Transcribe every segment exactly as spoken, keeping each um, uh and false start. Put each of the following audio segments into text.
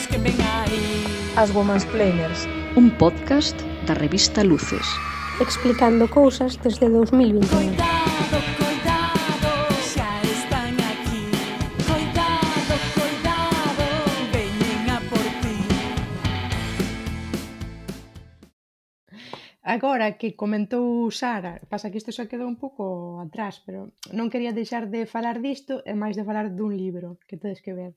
que ven aí. As Women's Planers, un podcast da revista Luces, explicando cousas desde dous mil vinte e un. Coidado, coidado, xa están aquí. Coidado, coidado, veñen a por ti. Agora que comentou Sara, pasa que isto xa quedou un pouco atrás, pero non quería deixar de falar disto e máis de falar dun libro que tedes que ver.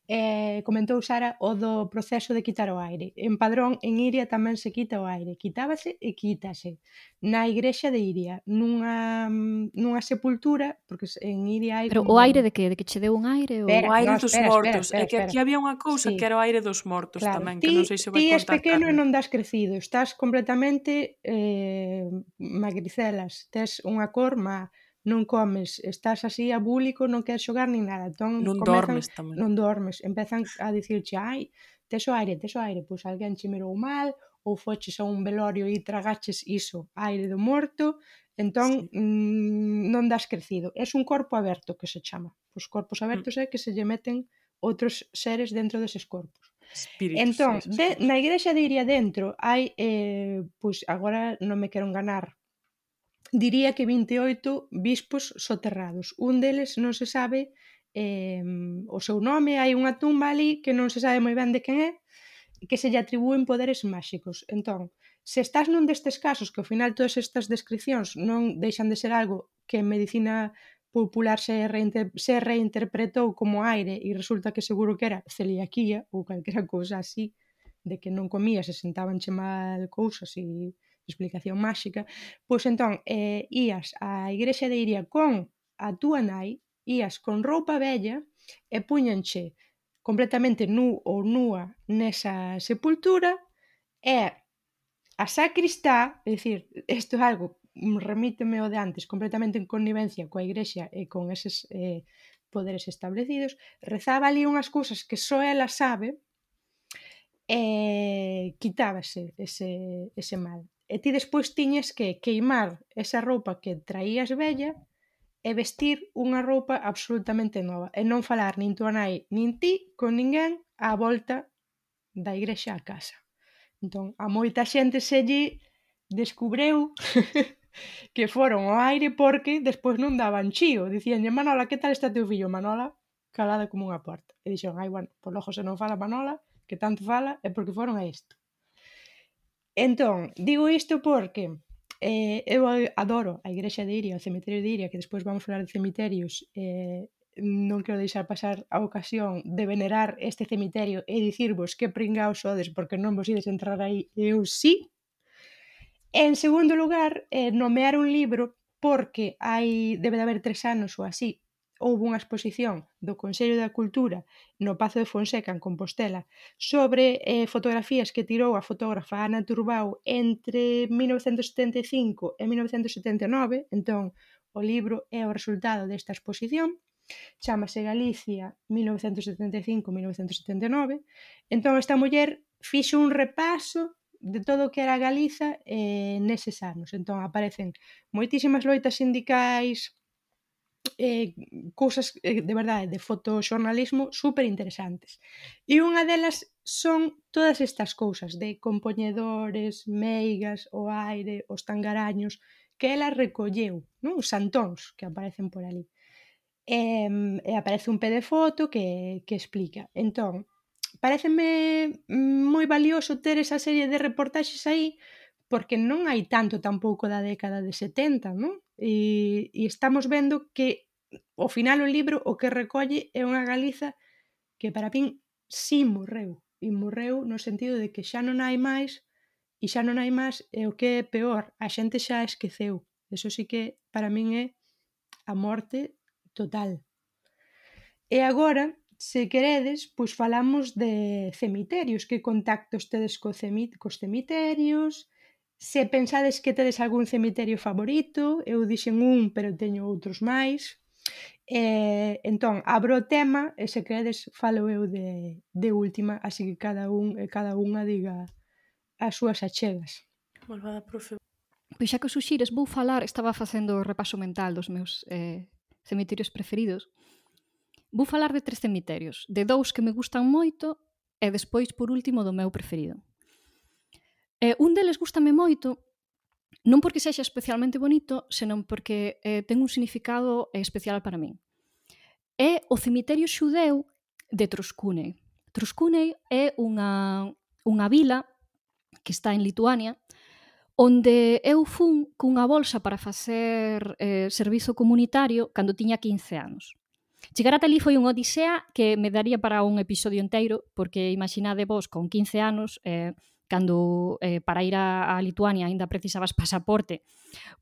Eh, comentou Sara o do proceso de quitar o aire. En Padrón, en Iria tamén se quita o aire. Quitábase e quítase. Na igrexa de Iria, nunha, nunha sepultura, porque en Iria hai... Pero como... o aire de que? De que che deu un aire? Ou... Espera, O aire no, dos espera, mortos. espera, espera, É que aquí espera. había unha cousa Sí. que era o aire dos mortos Claro, tamén, ti, que non sei se vai ti és contar pequeno e Carmen. non das crecido, estás completamente eh, magricelas, tes unha cor má, non comes, estás así abúlico, non queres xogar nin nada. Entón, Non comezan, dormes tamén. non dormes, empezan a dicirche, ai, tes o aire, tes o aire, pois alguén che mirou mal, ou foches a un velorio e tragaches iso, aire do morto, entón Sí. mm, non das crecido. Es un corpo aberto que se chama. Os corpos abertos é que se lle meten outros seres dentro deses corpos. Espíritus. Entón, esas de, cousas. na igrexa de Iria dentro hai, eh, pois agora non me quero enganar, diría que vinte e oito bispos soterrados. Un deles non se sabe eh, o seu nome, hai unha tumba ali que non se sabe moi ben de quen é, que se lle atribúen poderes máxicos. Entón, se estás nun destes casos, que ao final todas estas descripcións non deixan de ser algo que en medicina popular se, reinter se reinterpretou como aire e resulta que seguro que era celiaquía ou calquera cousa así, de que non comías e sentabanche mal cousas e explicación máxica, pois entón eh, ías á igrexa de Iria con a túa nai, ías con roupa vella e puñanche completamente nu ou nua nesa sepultura e a sacristá, é dicir, isto é algo, remíteme o de antes, completamente en connivencia coa igrexa e con eses eh, poderes establecidos, rezaba ali unhas cousas que só ela sabe e quitábase ese, ese mal. E ti despois tiñes que queimar esa roupa que traías vella e vestir unha roupa absolutamente nova e non falar nin tua nai nin ti con ninguén á volta da igrexa á casa. Entón, a moita xente se lle descubreu que foron ao aire porque despois non daban chío. Dicíanlle, Manola, que tal está teu fillo? Manola, calada como unha porta. E dixeron, ai, bueno, por logo se non fala Manola, que tanto fala, é porque foron a isto. Entón, digo isto porque eh, eu adoro a igrexa de Iria, o cemiterio de Iria, que despois vamos falar de cemiterios, eh, non quero deixar pasar a ocasión de venerar este cemiterio e dicirvos que pringaos sodes porque non vos ides entrar aí, eu sí. En segundo lugar, eh, nomear un libro porque hai, debe de haber tres anos ou así, houve unha exposición do Consello da Cultura no Pazo de Fonseca, en Compostela, sobre eh, fotografías que tirou a fotógrafa Ana Turbau entre mil novecentos setenta e cinco e mil novecentos setenta e nove, entón o libro é o resultado desta exposición, chámase Galicia mil novecentos setenta e cinco a mil novecentos setenta e nove, entón esta muller fixo un repaso de todo o que era Galiza eh, neses anos, entón aparecen moitísimas loitas sindicais, eh, cousas eh, de verdade de fotoxornalismo super interesantes e unha delas son todas estas cousas de compoñedores, meigas, o aire, os tangaraños que ela recolleu, non? Os santóns que aparecen por ali e, e aparece un pé de foto que, que explica. Entón, pareceme moi valioso ter esa serie de reportaxes aí porque non hai tanto tampouco da década de setenta, non? E, e estamos vendo que ao final o libro o que recolle é unha Galiza que para min si morreu, e morreu no sentido de que xa non hai máis e xa non hai máis e o que é peor, a xente xa esqueceu. Eso sí que para min é a morte total. E agora, se queredes, pois falamos de cemiterios, que contactos tedes co cemi cos cemiterios, se pensades que tedes algún cemiterio favorito, eu dixen un, pero teño outros máis. E, entón, abro o tema e se queredes falo eu de, de última, así que cada un e cada unha diga as súas achegas. Malvada profe. Pois xa que o suxires, vou falar, estaba facendo o repaso mental dos meus eh, cemiterios preferidos. Vou falar de tres cemiterios, de dous que me gustan moito e despois, por último, do meu preferido. Eh, un deles gústame moito, non porque sexa especialmente bonito, senón porque eh, ten un significado eh, especial para min. É o cemiterio xudeu de Troskūnai. Troskūnai é unha, unha vila que está en Lituania, onde eu fun cunha bolsa para facer eh, servizo comunitario cando tiña quince anos. Chegar ata ali foi unha odisea que me daría para un episodio inteiro, porque imaginade vos con quince anos, eh, cando eh, para ir a, a Lituania aínda precisabas pasaporte,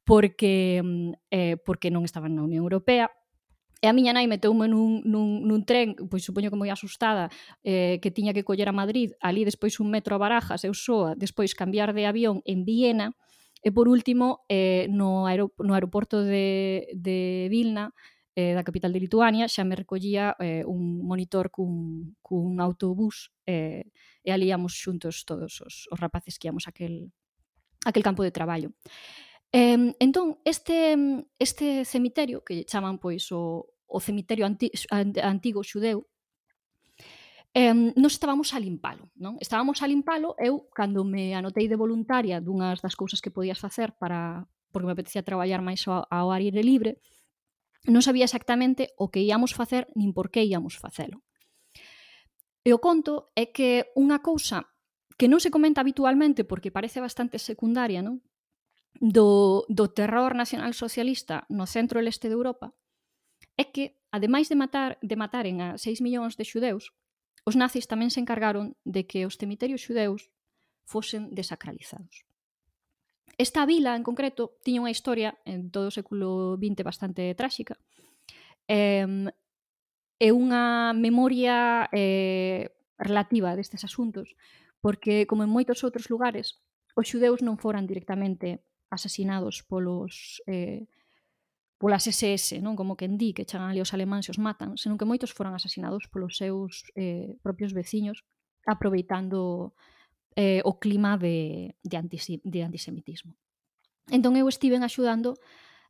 porque, eh, porque non estaban na Unión Europea. E a miña nai meteume nun, nun, nun tren, pois supoño que moi asustada, eh, que tiña que coller a Madrid, ali despois un metro a Barajas, eu soa, despois cambiar de avión en Viena, e por último, eh, no, aero, no aeroporto de, de Vilna, eh, da capital de Lituania, xa me recollía eh, un monitor cun, cun autobús, eh, e ali íamos xuntos todos os, os rapaces que íamos a aquel, aquel campo de traballo. Eh, entón, este, este cemiterio, que chaman pois o, o cemiterio anti, antigo xudeu, eh, nos estábamos a limpalo, non? Estábamos a limpalo, eu, cando me anotei de voluntaria dunhas das cousas que podías facer para, porque me apetecía traballar máis ao, ao aire libre, non sabía exactamente o que íamos facer nin por que íamos facelo. E o conto é que unha cousa que non se comenta habitualmente porque parece bastante secundaria, non? Do, do terror nacionalsocialista no centro e leste de Europa é que, ademais de matar de mataren a seis millóns de xudeus, os nazis tamén se encargaron de que os cemiterios xudeus fosen desacralizados. Esta vila, en concreto, tiña unha historia en todo o século vinte bastante tráxica. É eh, unha memoria eh, relativa destes asuntos, porque, como en moitos outros lugares, os xudeus non foran directamente asasinados polos eh, polas ese ese, non? Como quen di, que chegan ali os alemáns e os matan, senón que moitos foran asasinados polos seus eh, propios veciños, aproveitando eh, o clima de, de, antisi, de antisemitismo. Entón eu estiven axudando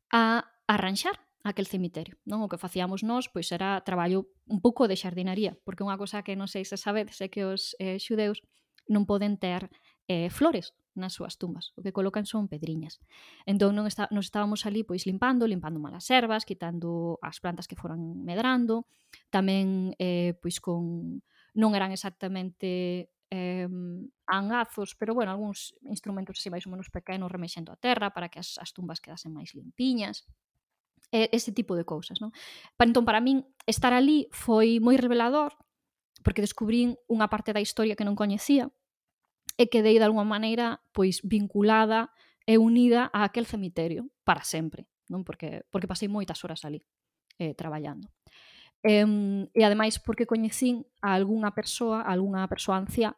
a arranxar aquel cemiterio, non? O que facíamos nós pois era traballo un pouco de xardinaría, porque unha cosa que non sei se sabedes é que os eh, xudeus non poden ter eh, flores nas súas tumbas, o que colocan son pedriñas. Entón non está, nos estábamos ali pois limpando, limpando malas ervas, quitando as plantas que foran medrando, tamén eh, pois con non eran exactamente eh, angazos, pero bueno, algúns instrumentos así máis ou menos pequenos remexendo a terra para que as, as tumbas quedasen máis limpiñas. E, ese tipo de cousas, non? Entón, para min, estar ali foi moi revelador, porque descubrín unha parte da historia que non coñecía, e quedei de alguma maneira pois vinculada e unida a aquel cemiterio para sempre, non? Porque, porque pasei moitas horas ali eh, traballando. E, e ademais porque coñecín a algunha persoa, a algunha persoa anciá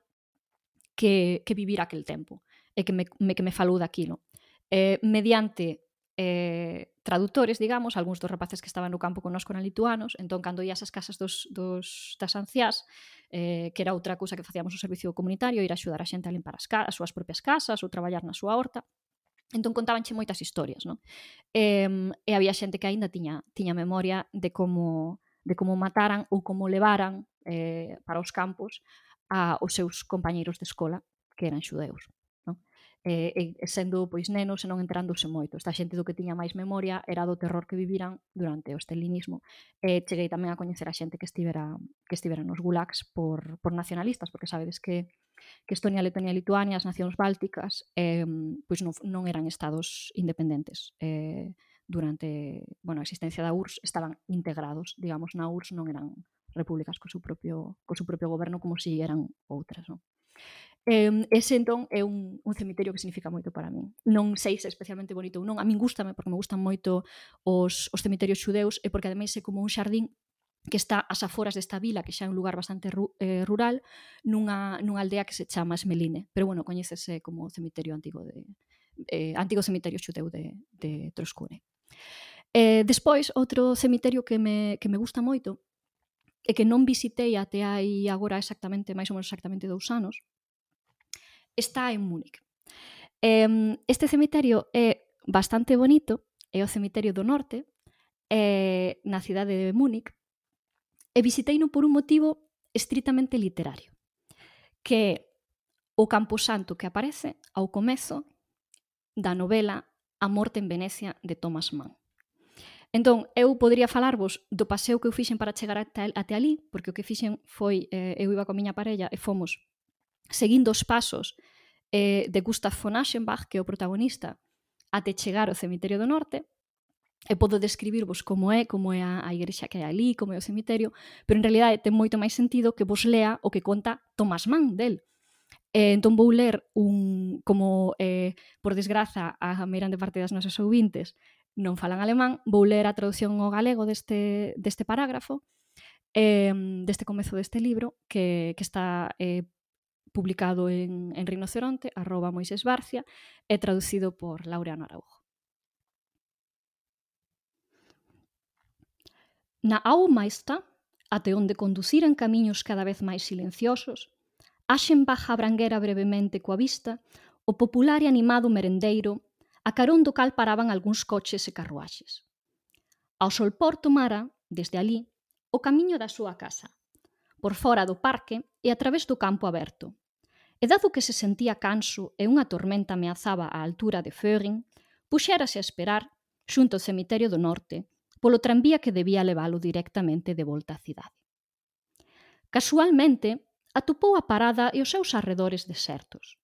que, que vivira aquel tempo e que me, me, que me falou daquilo. Eh, mediante eh, traductores, digamos, algúns dos rapaces que estaban no campo connosco eran lituanos, entón, cando ías ás casas dos, dos, das anciás, eh, que era outra cousa que facíamos o servicio comunitario, ir a axudar a xente a limpar as, as súas propias casas ou traballar na súa horta, entón contábanche moitas historias, non? E, e había xente que aínda tiña, tiña memoria de como, de como mataran ou como levaran eh, para os campos a os seus compañeiros de escola que eran xudeus. E, e sendo pois nenos e non enterándose moito. Esta xente do que tiña máis memoria era do terror que viviran durante o stalinismo. E cheguei tamén a coñecer a xente que estivera que estivera nos gulags por, por nacionalistas, porque sabedes que, que Estonia, Letonia e Lituania, as nacións bálticas, eh, pois non, non eran estados independentes. Eh, durante bueno, a existencia da U R S S estaban integrados, digamos, na U R S S non eran repúblicas co seu propio, co seu propio goberno como si eran outras, non? Eh, ese entón é un, un cemiterio que significa moito para min. Non sei se é especialmente bonito ou non, a min gústame porque me gustan moito os, os cementerios xudeus e porque ademais é como un xardín que está ás aforas desta vila, que xa é un lugar bastante ru, eh, rural, nunha, nunha aldea que se chama Smeline, pero bueno, coñécese como cemiterio antigo de eh, antigo cemiterio xudeu de, de Troskūnai. Eh, despois, outro cemiterio que me, que me gusta moito e que non visitei até aí agora exactamente, máis ou menos exactamente dous anos, está en Múnich. Este cemiterio é bastante bonito, é o cemiterio do norte, é na cidade de Múnich, e visiteino por un motivo estritamente literario. que é o camposanto que aparece ao comezo da novela A morte en Venecia de Thomas Mann. Entón, eu podría falarvos do paseo que eu fixen para chegar até, até ali, porque o que fixen foi, eh, eu iba coa miña parella e fomos seguindo os pasos eh, de Gustav von Aschenbach, que é o protagonista, até chegar ao Cemiterio do Norte. E podo describirvos como é, como é a, a igrexa que hai ali, como é o cemiterio, pero en realidade ten moito máis sentido que vos lea o que conta Thomas Mann del. Eh, entón vou ler un, como, eh, por desgraza, a meirande parte das nosas ouvintes non falan alemán, vou ler a traducción ao galego deste, deste parágrafo, eh, deste comezo deste libro, que, que está eh, publicado en, en Rinoceronte, arroba Moisés Barcia, e traducido por Laureano Araujo. Na Aumeister, até onde conduciran camiños cada vez máis silenciosos, Aschenbach abranguera brevemente coa vista o popular e animado merendeiro a carón do cal paraban algúns coches e carruaxes. Ao solpor tomara, desde ali, o camiño da súa casa, por fora do parque e a través do campo aberto. E dado que se sentía canso e unha tormenta ameazaba a altura de Föhring, puxérase a esperar, xunto ao cemiterio do norte, polo tranvía que debía leválo directamente de volta á cidade. Casualmente, atopou a parada e os seus arredores desertos.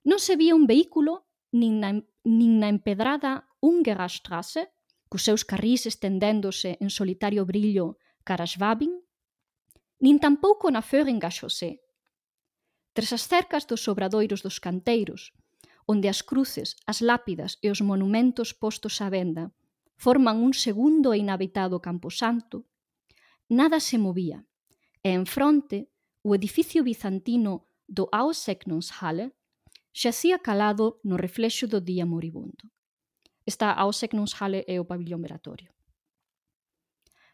Non se vía un vehículo, nin na, nin na empedrada Ungerstrasse, cos seus carrís estendéndose en solitario brillo cara a Schwabing, nin tampouco na Föhringa Chaussee. Tras as cercas dos obradoiros dos canteiros, onde as cruces, as lápidas e os monumentos postos á venda forman un segundo e inhabitado camposanto, nada se movía, e en fronte o edificio bizantino do Aussegnungshalle xacía calado no reflexo do día moribundo. Esta Aussegnungshalle é o pabillón veratorio.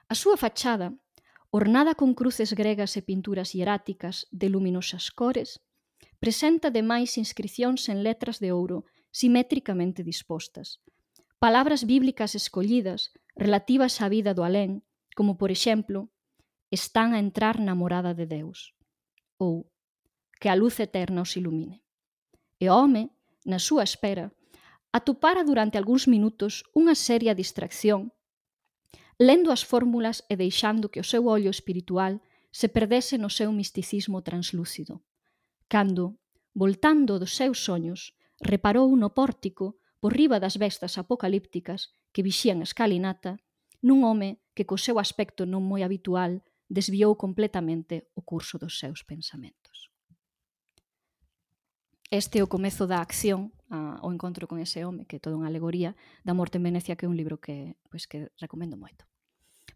A súa fachada, ornada con cruces gregas e pinturas hieráticas de luminosas cores, presenta demais inscricións en letras de ouro simétricamente dispostas, palabras bíblicas escollidas relativas á vida do alén, como, por exemplo, están a entrar na morada de Deus, ou que a luz eterna os ilumine. E o home, na súa espera, atopara durante algúns minutos unha seria distracción, lendo as fórmulas e deixando que o seu ollo espiritual se perdese no seu misticismo translúcido, cando, voltando dos seus soños, reparou no pórtico, por riba das bestas apocalípticas que vixían a escalinata, nun home que co seu aspecto non moi habitual desviou completamente o curso dos seus pensamentos. Este é o comezo da acción, a, o encontro con ese home, que é toda unha alegoría da morte en Venecia, que é un libro que, pois, que recomendo moito.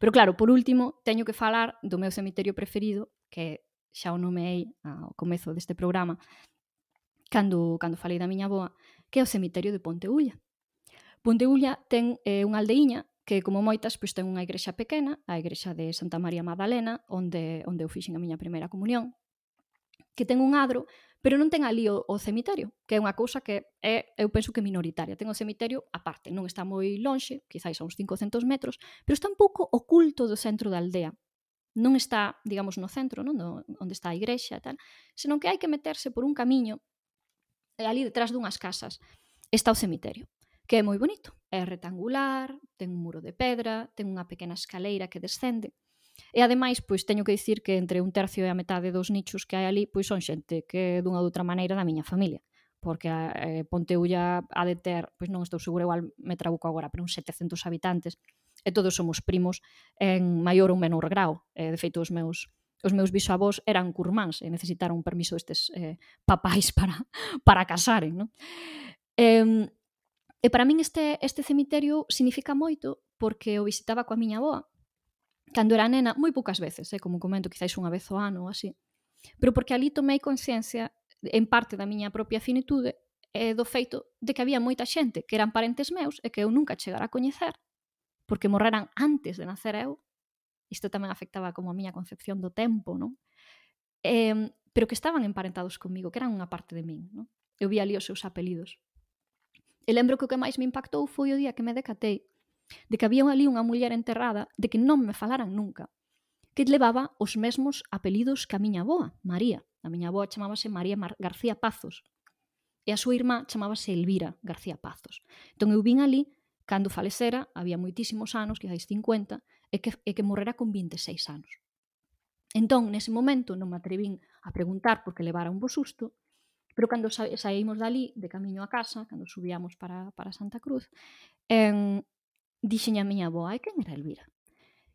Pero claro, por último, teño que falar do meu cemiterio preferido, que xa o nomeei ao comezo deste programa, cando, cando falei da miña avoa, que é o cemiterio de Ponteulla. Ponteulla ten eh, unha aldeiña que, como moitas, pois, ten unha igrexa pequena, a igrexa de Santa María Magdalena, onde, onde eu fixen a miña primeira comunión, que ten un adro, pero non ten ali o, o cemiterio, que é unha cousa que é, eu penso que minoritaria. Ten o cemiterio aparte, non está moi lonxe, quizáis a uns cincocentos metros, pero está un pouco oculto do centro da aldea. Non está, digamos, no centro, non? No, onde está a igrexa e tal, senón que hai que meterse por un camiño, e ali detrás dunhas casas está o cemiterio, que é moi bonito. É rectangular, ten un muro de pedra, ten unha pequena escaleira que descende. E ademais, pois teño que dicir que entre un tercio e a metade dos nichos que hai ali, pois son xente que dunha ou outra maneira da miña familia, porque a eh, Ponteulla ha de ter, pois non estou segura, igual me trabuco agora, pero uns setecentos habitantes, e todos somos primos en maior ou menor grau. E, de feito, os meus os meus bisavós eran curmáns e necesitaron un permiso estes eh, papais para, para casaren, non? E, e para min este, este cemiterio significa moito porque o visitaba coa miña avoa, cando era nena, moi poucas veces, eh, como comento, quizáis unha vez ao ano ou así, pero porque ali tomei conciencia, en parte da miña propia finitude, e do feito de que había moita xente que eran parentes meus e que eu nunca chegara a coñecer, porque morreran antes de nacer eu. Isto tamén afectaba como a miña concepción do tempo, non? Eh, pero que estaban emparentados comigo, que eran unha parte de min, non? Eu vi ali os seus apelidos. E lembro que o que máis me impactou foi o día que me decatei de que había ali unha muller enterrada de que non me falaran nunca. que levaba os mesmos apelidos que a miña avoa, María. A miña avoa chamábase María Mar- García Pazos e a súa irmá chamábase Elvira García Pazos. Entón eu vin ali, cando falecera, había moitísimos anos, quizáis cincuenta, e que, e que morrera con vinte e seis anos. Entón, nese momento, non me atrevín a preguntar porque levara un bo susto, pero cando sa saímos dali, de camiño a casa, cando subíamos para, para Santa Cruz, eh, dixen a miña avoa, e quen era Elvira?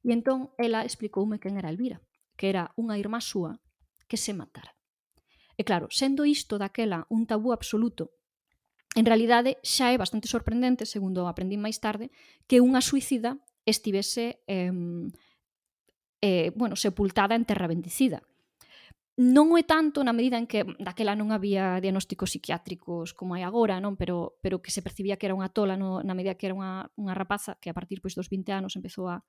E entón, ela explicoume quen era Elvira, que era unha irmá súa que se matara. E claro, sendo isto daquela un tabú absoluto, en realidade xa é bastante sorprendente, segundo aprendí máis tarde, que unha suicida estivese eh, eh, bueno, sepultada en terra bendicida. Non é tanto na medida en que daquela non había diagnósticos psiquiátricos como hai agora, non? Pero, pero que se percibía que era unha tola no, na medida que era unha, unha rapaza que a partir pois, dos vinte anos empezou a,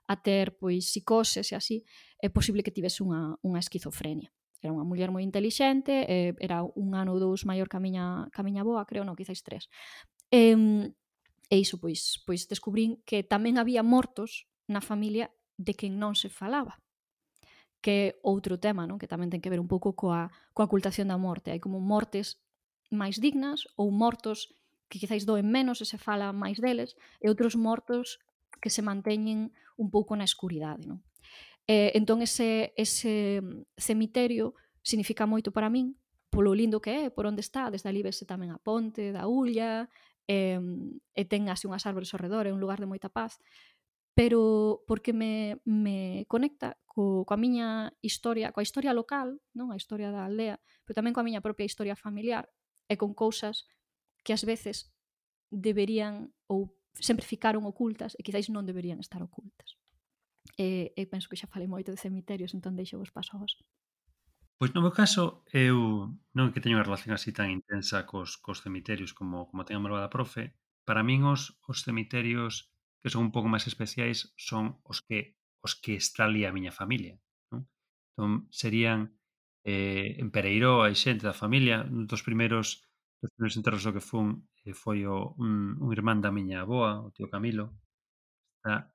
a ter pois, psicoses e así, é posible que tivese unha, unha esquizofrenia. Era unha muller moi intelixente, eh, era un ano ou dous maior que a miña, que a miña boa, creo, non, quizáis tres. E, e iso, pois, pois descubrín que tamén había mortos na familia de quen non se falaba. Que é outro tema, non? Que tamén ten que ver un pouco coa, coa ocultación da morte. Hai como mortes máis dignas ou mortos que quizáis doen menos e se fala máis deles, e outros mortos que se manteñen un pouco na escuridade, non? Eh, entón, ese, ese cemiterio significa moito para min, polo lindo que é, por onde está, desde ali vese tamén a ponte da Ulla, e, e ten así unhas árbores ao redor, é un lugar de moita paz, pero porque me, me conecta co, coa miña historia, coa historia local, non a historia da aldea, pero tamén coa miña propia historia familiar, e con cousas que ás veces deberían ou sempre ficaron ocultas e quizáis non deberían estar ocultas. E, e penso que xa falei moito de cemiterios, entón deixo vos paso a vos. Pois no meu caso, eu non que teño unha relación así tan intensa cos, cos cemiterios como, como ten a malvada profe. Para min os, os cemiterios que son un pouco máis especiais son os que os que está ali a miña familia, non? Entón, serían eh, en Pereiró, hai xente da familia, un dos primeiros dos primeiros enterros do que fun eh, foi o, un, un irmán da miña avoa, o tío Camilo. Está,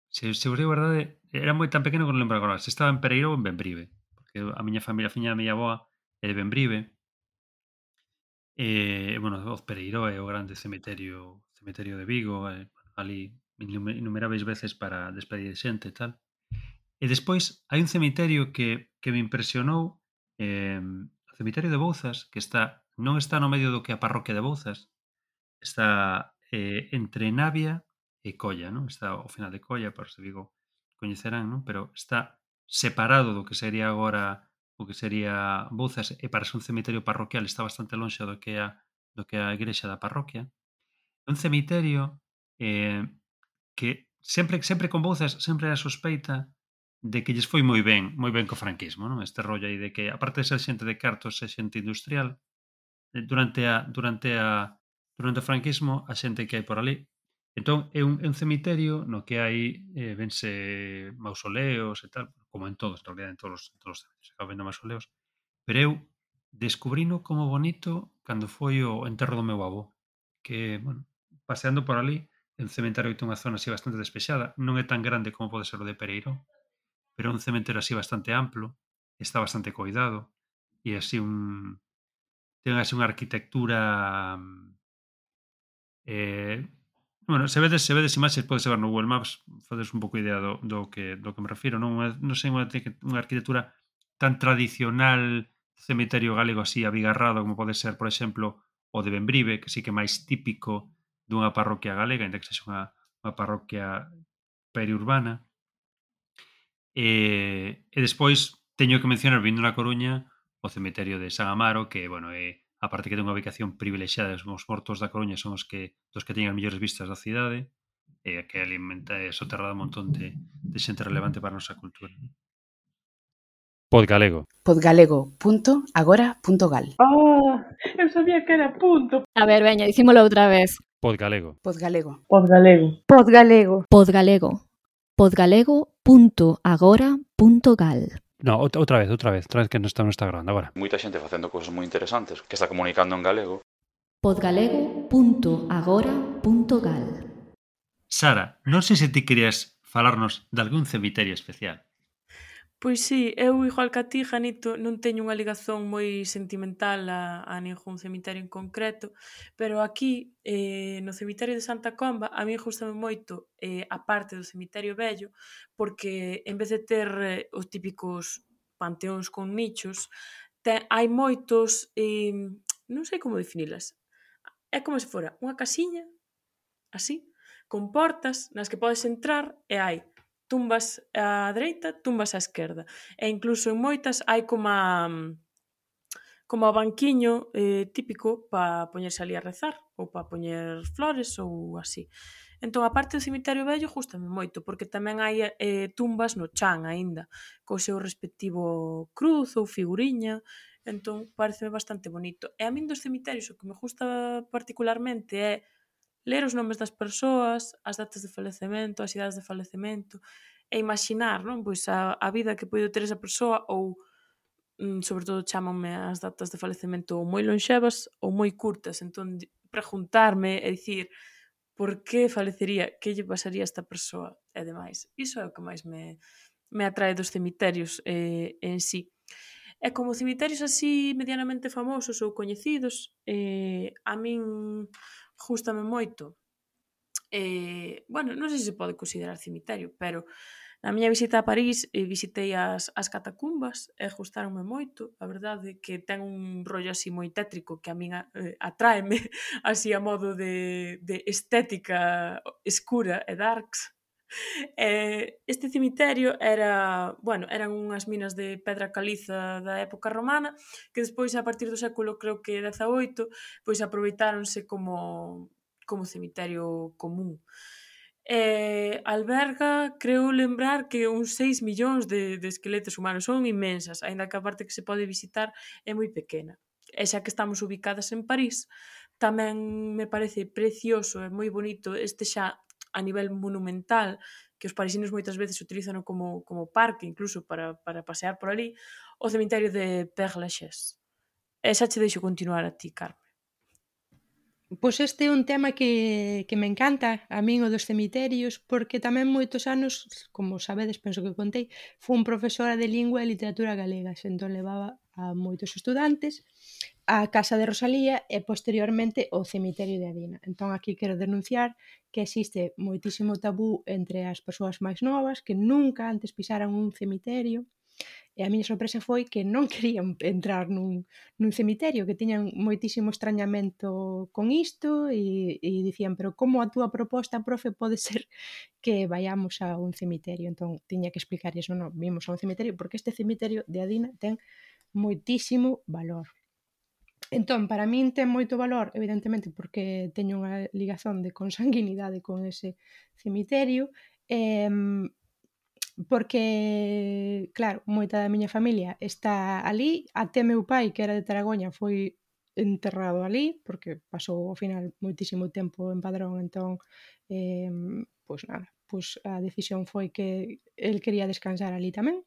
se, se vos digo a verdade, era moi tan pequeno que non lembro agora, se estaba en Pereiró ou en Bembrive, porque a miña familia, a fiña da miña avoa é de Bembrive. E, bueno, o Pereiró é o grande cemiterio cemiterio de Vigo, e, ali innumeráveis veces para despedir xente e tal. E despois hai un cemiterio que, que me impresionou, eh, o cemiterio de Bouzas, que está non está no medio do que a parroquia de Bouzas, está eh, entre Navia e Colla, non? Está ao final de Colla, por se Vigo coñecerán, non? Pero está separado do que sería agora o que sería Bouzas, e para ser un cemiterio parroquial está bastante lonxe do que é a, do que é a igrexa da parroquia. É un cemiterio eh, que sempre sempre con Bouzas sempre era sospeita de que lles foi moi ben, moi ben co franquismo, non? Este rollo aí de que, aparte de ser xente de cartos e xente industrial, durante a durante a durante o franquismo a xente que hai por ali. Entón, é un, é un cemiterio no que hai eh, vense mausoleos e tal, como en todos, en realidad, en todos os, en todos os cementerios, acaba vendo mausoleos, pero eu descubrino como bonito cando foi o enterro do meu avó, que, bueno, paseando por ali, é un cementario que ten unha zona así bastante despexada, non é tan grande como pode ser o de Pereiró, pero é un cementerio así bastante amplo, está bastante coidado, e así un... ten así unha arquitectura... Eh, bueno, se vedes, se vedes imaxes, podes ver no Google Maps, faces un pouco idea do, do, que, do que me refiro, non, non sei unha, unha arquitectura tan tradicional cemiterio galego así abigarrado como pode ser, por exemplo, o de Bembrive, que sí que é máis típico dunha parroquia galega, ainda que sexa unha, unha parroquia periurbana. E, e despois teño que mencionar, vindo na Coruña, o cemiterio de San Amaro, que, bueno, é, aparte que ten unha ubicación privilexiada, os mortos da Coruña son os que dos que teñen as mellores vistas da cidade, e que alimenta e soterrada un montón de, de xente relevante para a nosa cultura. Podgalego. podgalego punto agora punto gal. Oh, eu sabía que era punto. A ver, veña, dicímolo outra vez. Podgalego. Podgalego. Podgalego. Podgalego. Podgalego. Podgalego punto agora punto gal. No, outra vez, outra vez, outra vez que non está, non está grabando agora. Moita xente facendo cousas moi interesantes, que está comunicando en galego. Podgalego punto agora punto gal. Sara, non sei se ti querías falarnos de algún cemiterio especial. Pois sí, eu igual que a ti, Janito, non teño unha ligazón moi sentimental a, a ningún cemiterio en concreto, pero aquí, eh, no cemiterio de Santa Comba, a mí gustame moito eh, a parte do cemiterio vello, porque en vez de ter eh, os típicos panteóns con nichos, te, hai moitos, eh, non sei como definilas, é como se fora unha casiña, así, con portas nas que podes entrar e hai tumbas á dereita, tumbas á esquerda. E incluso en moitas hai como a, como a banquiño eh, típico para poñerse ali a rezar ou para poñer flores ou así. Entón, a parte do cemiterio vello gustame moito, porque tamén hai eh, tumbas no chan aínda, co seu respectivo cruz ou figuriña, entón pareceme bastante bonito. E a min dos cemitérios o que me gusta particularmente é ler os nomes das persoas, as datas de falecemento, as idades de falecemento, e imaxinar, non? Pois a, a vida que poido ter esa persoa ou, mm, sobre todo, chámanme as datas de falecemento ou moi lonxevas ou moi curtas. Entón, preguntarme e dicir por que falecería, que lle pasaría a esta persoa e demais. Iso é o que máis me, me atrae dos cemiterios eh, en sí. E como cemiterios así medianamente famosos ou coñecidos, eh, a min gústame moito. Eh, bueno, non sei se se pode considerar cemiterio, pero na miña visita a París eh, visitei as, as catacumbas e gustaronme moito. A verdade que ten un rollo así moi tétrico que a min eh, atráeme así a modo de, de estética escura e darks. Eh, este cemiterio era, bueno, eran unhas minas de pedra caliza da época romana que despois a partir do século creo que dezaoito pois aproveitáronse como como cemiterio común. Eh, alberga, creo lembrar que uns seis millóns de, de esqueletos humanos, son inmensas, aínda que a parte que se pode visitar é moi pequena. E xa que estamos ubicadas en París, tamén me parece precioso e moi bonito este xa a nivel monumental, que os parisinos moitas veces utilizan como, como parque, incluso para, para pasear por ali, o cemiterio de Père Lachaise. E xa che deixo continuar a ti, Carmen. Pois este é un tema que, que me encanta, a min o dos cemiterios, porque tamén moitos anos, como sabedes, penso que contei, fun profesora de lingua e literatura galegas, entón levaba a moitos estudantes a Casa de Rosalía e posteriormente o cemiterio de Adina. Entón aquí quero denunciar que existe moitísimo tabú entre as persoas máis novas que nunca antes pisaran un cemiterio. E a miña sorpresa foi que non querían entrar nun, nun cemiterio, que tiñan moitísimo extrañamento con isto e, e dicían, pero como a túa proposta, profe, pode ser que vayamos a un cemiterio? Entón, tiña que explicarles, non, non, vimos a un cemiterio, porque este cemiterio de Adina ten moitísimo valor. Entón, para min ten moito valor, evidentemente, porque teño unha ligazón de consanguinidade con ese cemiterio, e porque, claro, moita da miña familia está ali, até meu pai, que era de Taragoña, foi enterrado ali, porque pasou ao final moitísimo tempo en Padrón, entón, eh, pois nada, pois a decisión foi que el quería descansar ali tamén.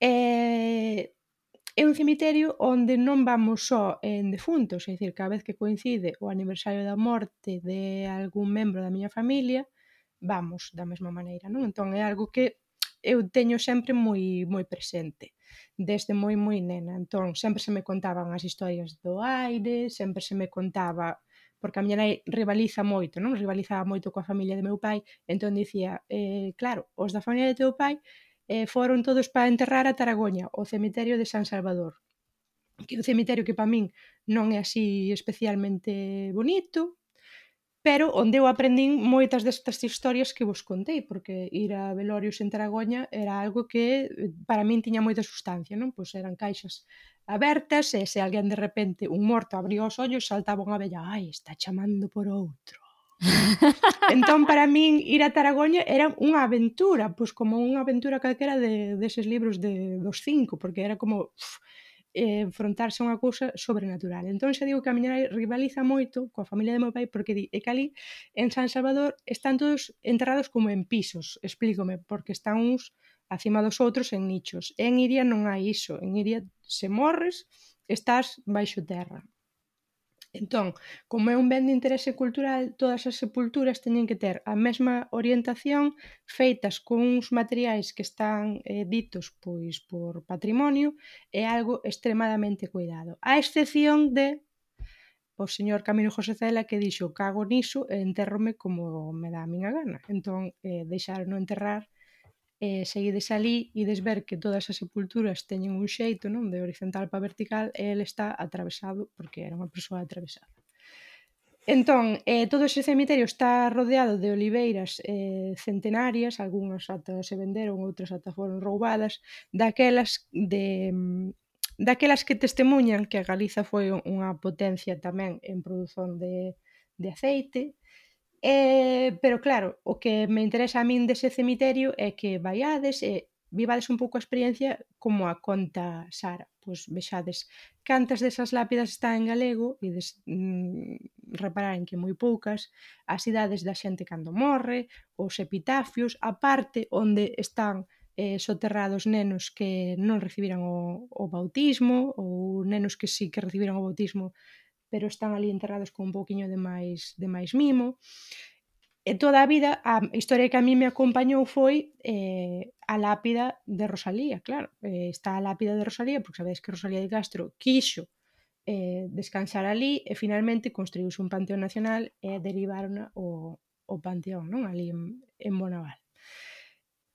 E é un cemiterio onde non vamos só en defuntos, é dicir, cada vez que coincide o aniversario da morte de algún membro da miña familia, vamos da mesma maneira, non? Entón é algo que eu teño sempre moi moi presente, desde moi moi nena. Entón, sempre se me contaban as historias do aire, sempre se me contaba, porque a miña nai rivaliza moito, non? Rivalizaba moito coa familia de meu pai, entón dicía, eh, claro, os da familia de teu pai eh, foron todos para enterrar a Taragoña, o cemiterio de San Salvador, que é un cemiterio que para min non é así especialmente bonito, pero onde eu aprendín moitas destas historias que vos contei, porque ir a velorios en Taragoña era algo que para min tiña moita sustancia, non? Pois eran caixas abertas e se alguén de repente, un morto, abría os ollos, saltaba unha vella, ai, está chamando por outro. Entón, para min, ir a Taragoña era unha aventura, pois como unha aventura calquera de, deses libros de, dos cinco, porque era como... Uf, eh, enfrontarse a unha cousa sobrenatural. Entón, xa digo que a miña nai rivaliza moito coa familia de meu pai porque di, é que ali en San Salvador están todos enterrados como en pisos, explícome, porque están uns acima dos outros en nichos. En Iria non hai iso, en Iria se morres estás baixo terra. Entón, como é un ben de interese cultural, todas as sepulturas teñen que ter a mesma orientación, feitas con uns materiais que están eh, ditos pois por patrimonio, e algo extremadamente cuidado. A excepción de o señor Camilo José Cela, que dixo: cago niso e entérrome como me dá a miña gana. Entón, eh, deixaron enterrar, e seguides alí, ides ver que todas as sepulturas teñen un xeito, non, de horizontal para vertical, e ele está atravesado porque era unha persoa atravesada. Entón, eh, todo ese cemiterio está rodeado de oliveiras eh, centenarias, algunhas ata se venderon, outras ata foron roubadas, daquelas de daquelas que testemunhan que Galiza foi unha potencia tamén en produción de, de aceite. Eh, pero claro, o que me interesa a min dese cemiterio é que vaiades e vivades un pouco a experiencia como a conta Sara. Pois vexades cantas desas lápidas están en galego e des, mm, repararen que moi poucas, as idades da xente cando morre, os epitafios, a parte onde están eh, soterrados nenos que non recibiran o, o bautismo ou nenos que sí que recibiran o bautismo pero están ali enterrados con un pouquiño de máis, de máis mimo. E toda a vida, a historia que a mí me acompañou foi eh, a lápida de Rosalía, claro. Eh, está a lápida de Rosalía, porque sabedes que Rosalía de Castro quixo eh, descansar ali e finalmente construíuse un panteón nacional e derivaron o, o panteón, non? Ali en, en Bonaval.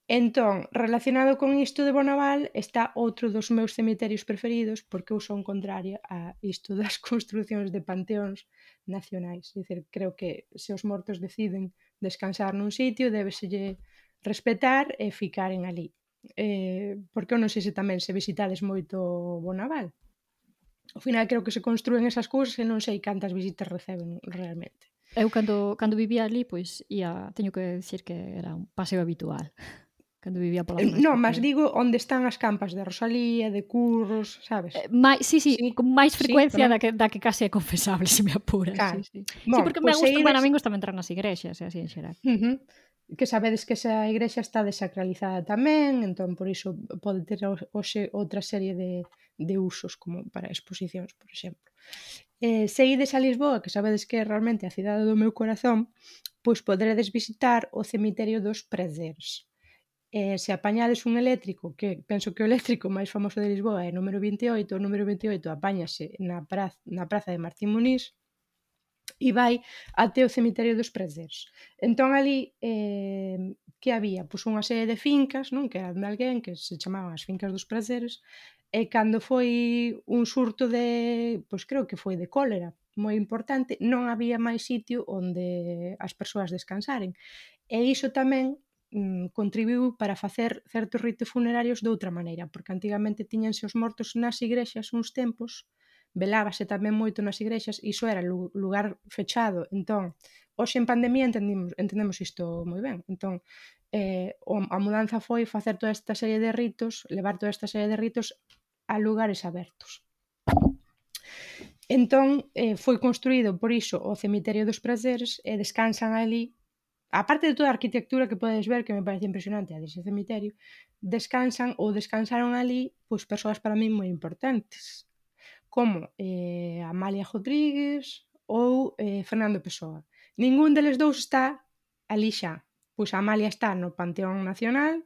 Entón, relacionado con isto de Bonaval está outro dos meus cemiterios preferidos porque eu son contraria a isto das construcións de panteóns nacionais. É dicir, creo que se os mortos deciden descansar nun sitio, débeselle respetar e ficaren ali. Eh, porque eu non sei se tamén se visitades moito Bonaval. Ao final creo que se construen esas cousas e non sei cantas visitas receben realmente. Eu cando, cando vivía ali, pois, ia, teño que decir que era un paseo habitual. Cando vivía pola zona. Non, mas digo onde están as campas de Rosalía, de Curros, sabes? Eh, mai, sí, sí, sí, con máis frecuencia sí, da, que, da que case é confesable, se me apuras. Claro. Sí, sí. Bon, sí, porque pues me gusta, ides... bueno, a min gusta entrar nas igrexas, así en xeral. Uh -huh. Que sabedes que esa igrexa está desacralizada tamén, entón por iso pode ter hoxe outra serie de, de usos, como para exposicións, por exemplo. Eh, se ides a Lisboa, que sabedes que é realmente a cidade do meu corazón, pois poderedes visitar o cemiterio dos Prezers. Eh, se apañades un eléctrico, que penso que o eléctrico máis famoso de Lisboa é o número vinte e oito, o número vinte e oito apáñase na praza, na praza de Martín Muniz e vai até o cemiterio dos Prezers. Entón ali, eh, que había? Pois unha serie de fincas, non? Que eran de alguén, que se chamaban as fincas dos Prezers, e cando foi un surto de, pois creo que foi de cólera moi importante, non había máis sitio onde as persoas descansaren. E iso tamén contribuiu para facer certos ritos funerarios de outra maneira, porque antigamente tiñanse os mortos nas igrexas uns tempos, velábase tamén moito nas igrexas, e iso era lugar fechado. Entón, hoxe en pandemia entendemos, entendemos isto moi ben. Entón, eh, a mudanza foi facer toda esta serie de ritos, levar toda esta serie de ritos a lugares abertos. Entón, eh, foi construído por iso o cemiterio dos Prezers e descansan ali. Aparte de toda a arquitectura que podes ver, que me parece impresionante a dese cemiterio, descansan ou descansaron ali pois persoas para mí moi importantes, como eh, Amalia Rodríguez ou eh, Fernando Pessoa. Ningún deles dous está ali xa. Pois Amalia está no Panteón Nacional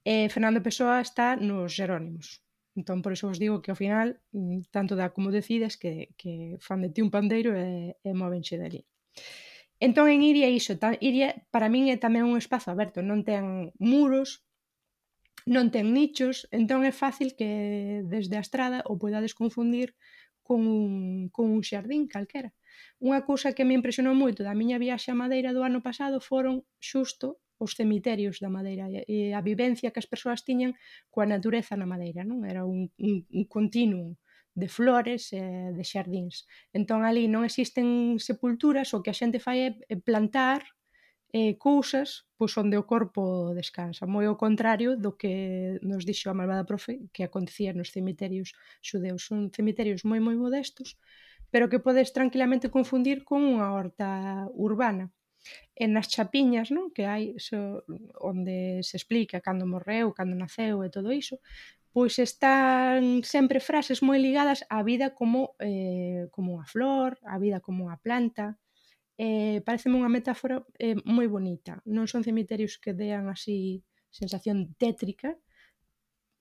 e Fernando Pessoa está nos Jerónimos. Entón, por iso vos digo que ao final, tanto dá como decides que, que fan de ti un pandeiro e, e móvenche dali. Entón, en Iria, iso, Iria para min é tamén un espazo aberto, non ten muros, non ten nichos, entón é fácil que desde a estrada o podades confundir con un, con un xardín calquera. Unha cousa que me impresionou moito da miña viaxe a Madeira do ano pasado foron xusto os cemiterios da Madeira e a vivencia que as persoas tiñan coa natureza na Madeira, non? Era un, un, un continuum de flores e de xardíns. Entón, ali non existen sepulturas, o que a xente fai é plantar eh, cousas pois onde o corpo descansa. Moi ao contrario do que nos dixo a malvada profe que acontecía nos cemiterios xudeus. Son cemiterios moi moi modestos, pero que podes tranquilamente confundir con unha horta urbana. E nas chapiñas, non, que hai so, onde se explica cando morreu, cando naceu e todo iso, pois están sempre frases moi ligadas á vida como, eh, como unha flor, á vida como unha planta. Eh, pareceme unha metáfora eh, moi bonita. Non son cemiterios que dean así sensación tétrica,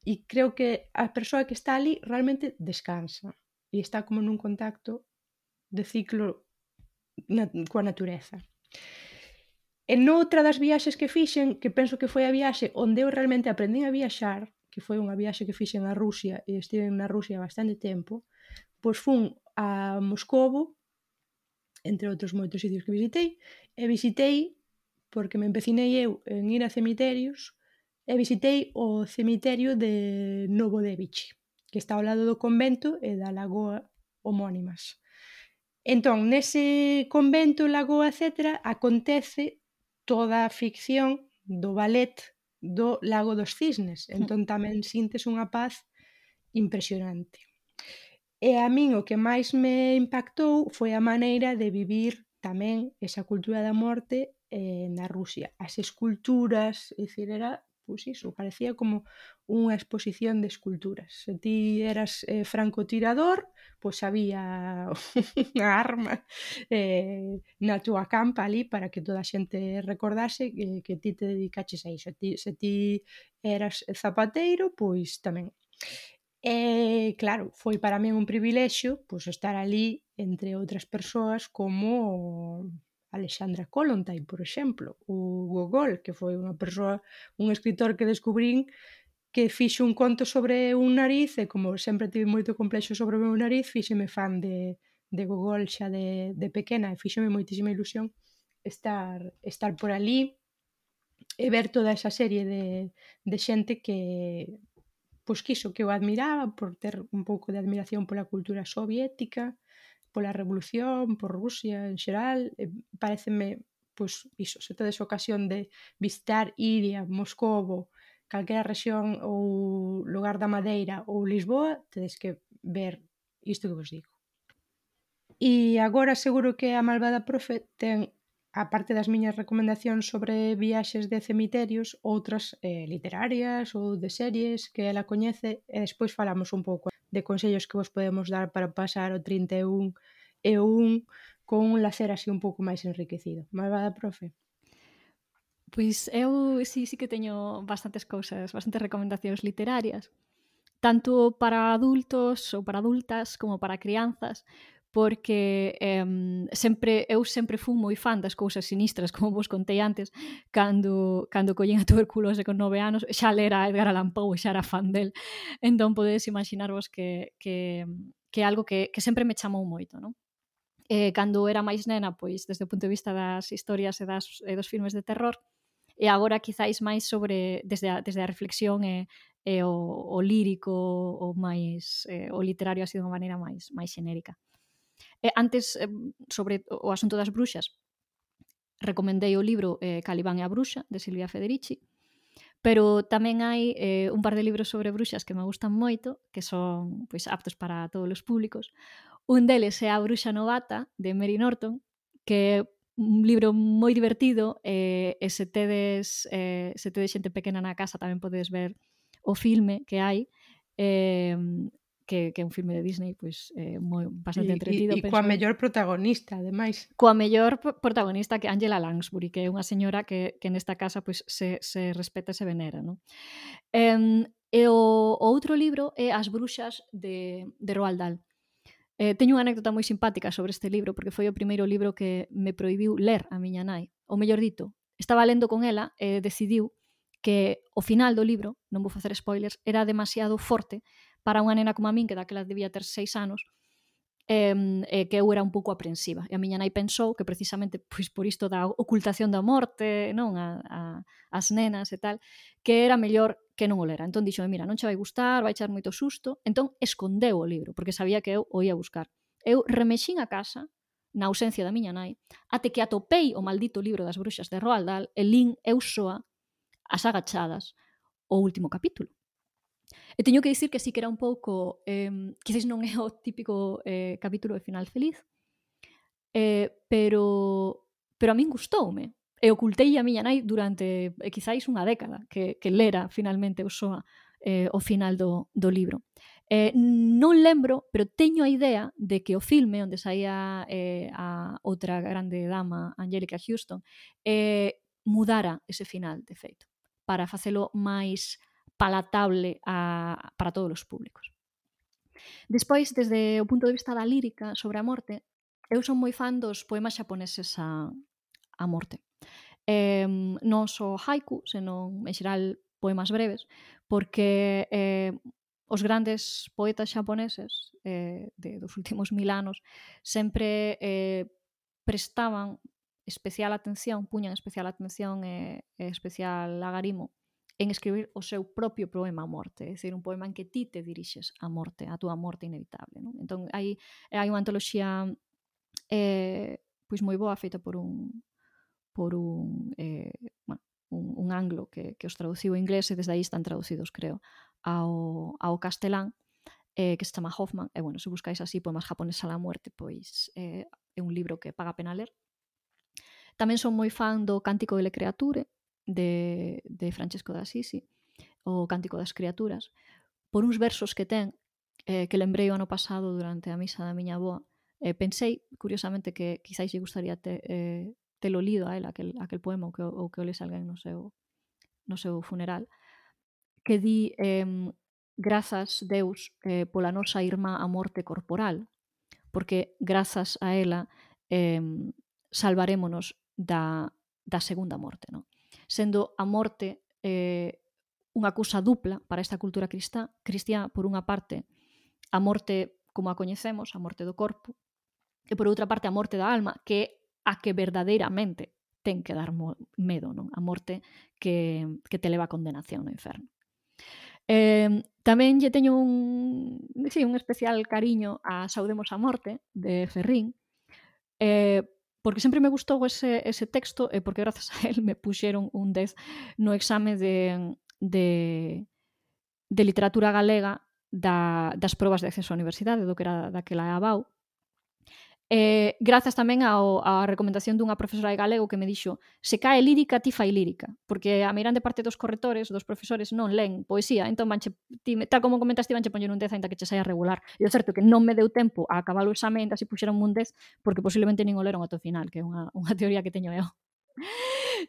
e creo que a persoa que está ali realmente descansa e está como nun contacto de ciclo na, coa natureza. E noutra das viaxes que fixen, que penso que foi a viaxe onde eu realmente aprendín a viaxar, que foi unha viaxe que fixen a Rusia e estive na Rusia bastante tempo, pois fun a Moscovo, entre outros moitos sitios que visitei, e visitei, porque me empecinei eu en ir a cemiterios, e visitei o cemiterio de Novodevich, que está ao lado do convento e da lagoa homónimas. Entón, nese convento, lagoa, etcétera, acontece toda a ficción do ballet do Lago dos Cisnes. Entón tamén sintes unha paz impresionante. E a min o que máis me impactou foi a maneira de vivir tamén esa cultura da morte eh, na Rusia. As esculturas, é dicir, era, pois iso, parecía como unha exposición de esculturas. Se ti eras eh, francotirador, pois había unha arma eh, na túa campa ali para que toda a xente recordase que, que ti te dedicaches a iso. Ti, se ti eras zapateiro, pois tamén. E, claro, foi para min un privilexio pois, estar ali entre outras persoas como Alexandra Kollontai, por exemplo, o Gogol, que foi unha persoa, un escritor que descubrín que fixo un conto sobre un nariz e como sempre tive moito complexo sobre o meu nariz, fíxeme fan de, de Gogol xa de, de pequena e fíxeme moitísima ilusión estar, estar por ali e ver toda esa serie de, de xente que pois quiso que eu admiraba por ter un pouco de admiración pola cultura soviética, pola revolución, por Rusia en xeral. E pareceme, pois, iso, se tedes ocasión de visitar Iria, Moscovo, calquera rexión ou lugar da Madeira ou Lisboa, tedes que ver isto que vos digo. E agora seguro que a malvada profe ten, a parte das miñas recomendacións sobre viaxes de cemiterios, outras eh, literarias ou de series que ela coñece e despois falamos un pouco de consellos que vos podemos dar para pasar o trinta e un e o un con un lacer así un pouco máis enriquecido. Malvada profe? Pois eu sí, sí que teño bastantes cousas, bastantes recomendacións literarias, tanto para adultos ou para adultas como para crianzas, porque eh, sempre eu sempre fui moi fan das cousas sinistras, como vos contei antes, cando, cando collín a tuberculose con nove anos, xa lera Edgar Allan Poe e xa era fan del. Entón podedes imaginarvos que, que, que é algo que, que sempre me chamou moito, non? Eh, cando era máis nena, pois, desde o punto de vista das historias e, das, e dos filmes de terror, e agora quizáis máis sobre, desde a, desde a reflexión e, e o, o lírico, o máis, eh, o literario así de unha maneira máis, máis xenérica. Eh, antes, eh, sobre o asunto das bruxas, recomendei o libro eh, Calibán e a bruxa, de Silvia Federici, pero tamén hai eh, un par de libros sobre bruxas que me gustan moito, que son pois, aptos para todos os públicos. Un deles é A bruxa novata, de Mary Norton, que é un libro moi divertido e, e se tedes eh, se tedes xente pequena na casa tamén podedes ver o filme que hai, eh, que, que é un filme de Disney, pois eh, moi bastante entretido. E, e, e coa mellor protagonista, ademais. Coa mellor protagonista que Angela Lansbury, que é unha señora que, que nesta casa pois, se, se respeta e se venera. Non? Eh, e o, o outro libro é As bruxas de, de Roald Dahl. Eh, teño unha anécdota moi simpática sobre este libro, porque foi o primeiro libro que me prohibiu ler a miña nai. Ou mellor dito, estaba lendo con ela e decidiu que o final do libro, non vou facer spoilers, era demasiado forte para unha nena como a min, que daquela debía ter seis anos, eh, eh, que eu era un pouco aprensiva. E a miña nai pensou que precisamente pois, por isto da ocultación da morte, non a, a, as nenas e tal, que era mellor que non o lera. Entón dixo, mira, non che vai gustar, vai echar moito susto. Entón escondeu o libro, porque sabía que eu o ia buscar. Eu remexín a casa, na ausencia da miña nai, até que atopei o maldito libro das bruxas de Roald Dahl e lín eu soa, as agachadas, o último capítulo. E teño que dicir que sí que era un pouco, eh, quizás non é o típico eh, capítulo de final feliz, eh, pero pero a min gustoume. E ocultei a miña nai durante eh, quizáis unha década que, que lera finalmente o soa eh, o final do, do libro. Eh, non lembro, pero teño a idea de que o filme onde saía eh, a outra grande dama, Angélica Houston, eh, mudara ese final, de feito, para facelo máis palatable a, para todos os públicos. Despois, desde o punto de vista da lírica sobre a morte, eu son moi fan dos poemas xaponeses a, a morte. Eh, non só haiku, senón, en xeral, poemas breves, porque eh, os grandes poetas xaponeses eh, de, dos últimos mil anos sempre eh, prestaban especial atención, puñan especial atención e, e especial agarimo en escribir o seu propio poema a morte, é dicir, un poema en que ti te dirixes a morte, a túa morte inevitable. Non? Entón, hai, hai unha antoloxía eh, pois moi boa, feita por un por un, eh, bueno, un, un anglo que, que os traduciu en inglés e desde aí están traducidos, creo, ao, ao castelán, eh, que se chama Hoffman. E, bueno, se buscáis así poemas japoneses a la muerte, pois eh, é un libro que paga pena ler. Tamén son moi fan do Cántico de le Creature, de, de Francesco de Assisi, o Cántico das Criaturas, por uns versos que ten, eh, que lembrei o ano pasado durante a misa da miña avoa. Eh, pensei, curiosamente, que quizáis lle gustaría te, eh, telo lido a él, aquel, aquel poema, ou que, ou que o lese alguén no seu, no seu funeral, que di eh, grazas, Deus, eh, pola nosa irmá a morte corporal, porque grazas a ela eh, salvarémonos da, da segunda morte. Non? Sendo a morte eh, unha cousa dupla para esta cultura cristá, cristiá, por unha parte, a morte como a coñecemos, a morte do corpo, e por outra parte a morte da alma, que é a que verdadeiramente ten que dar medo, non? A morte que, que te leva a condenación no inferno. Eh, tamén lle teño un, sí, un especial cariño a Saudemos a morte, de Ferrín, eh, porque sempre me gustou ese, ese texto e porque grazas a él me puxeron un dez no exame de, de, de literatura galega da, das probas de acceso á universidade, do que era daquela A B A U. Eh, grazas tamén ao, á recomendación dunha profesora de galego que me dixo: se cae lírica, ti fai lírica, porque a meirande parte dos correctores, dos profesores, non len poesía, entón vanche, ti, tal como comentaste, vanche poñer un dez ainda que che saia regular. E o certo que non me deu tempo a acabar o exame, ainda se puxeron un dez, porque posiblemente nin o leron ata o final, que é unha, unha teoría que teño eu.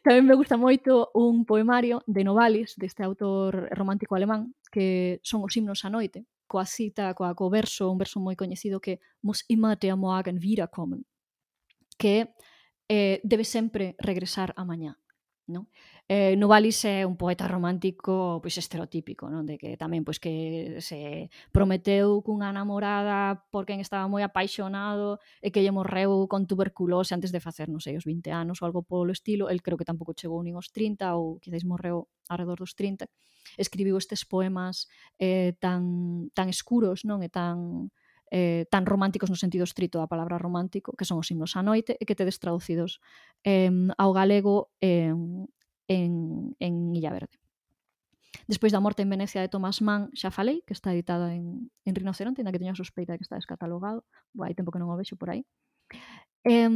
Tamén me gusta moito un poemario de Novalis, deste autor romántico alemán, que son os himnos á noite, coa cita, coa, co verso, un verso moi coñecido que muss immer der Morgen wiederkommen, que eh, debe sempre regresar a mañá. Non? Eh, Novalis é un poeta romántico pois estereotípico, non? De que tamén pois que se prometeu cunha namorada por quen estaba moi apaixonado e que lle morreu con tuberculose antes de facer, non sei, os vinte anos ou algo polo estilo. El creo que tampouco chegou nin aos trinta ou quizáis morreu alrededor dos trinta. Escribiu estes poemas eh, tan, tan escuros, non? E tan eh, tan románticos no sentido estrito da palabra romántico, que son os himnos á noite, e que tedes traducidos eh, ao galego eh, en, en Illa Verde. Despois da morte en Venecia de Thomas Mann, xa falei, que está editada en, en Rinoceronte, ainda que teño a sospeita de que está descatalogado. Bo, hai tempo que non o vexo por aí. Eh,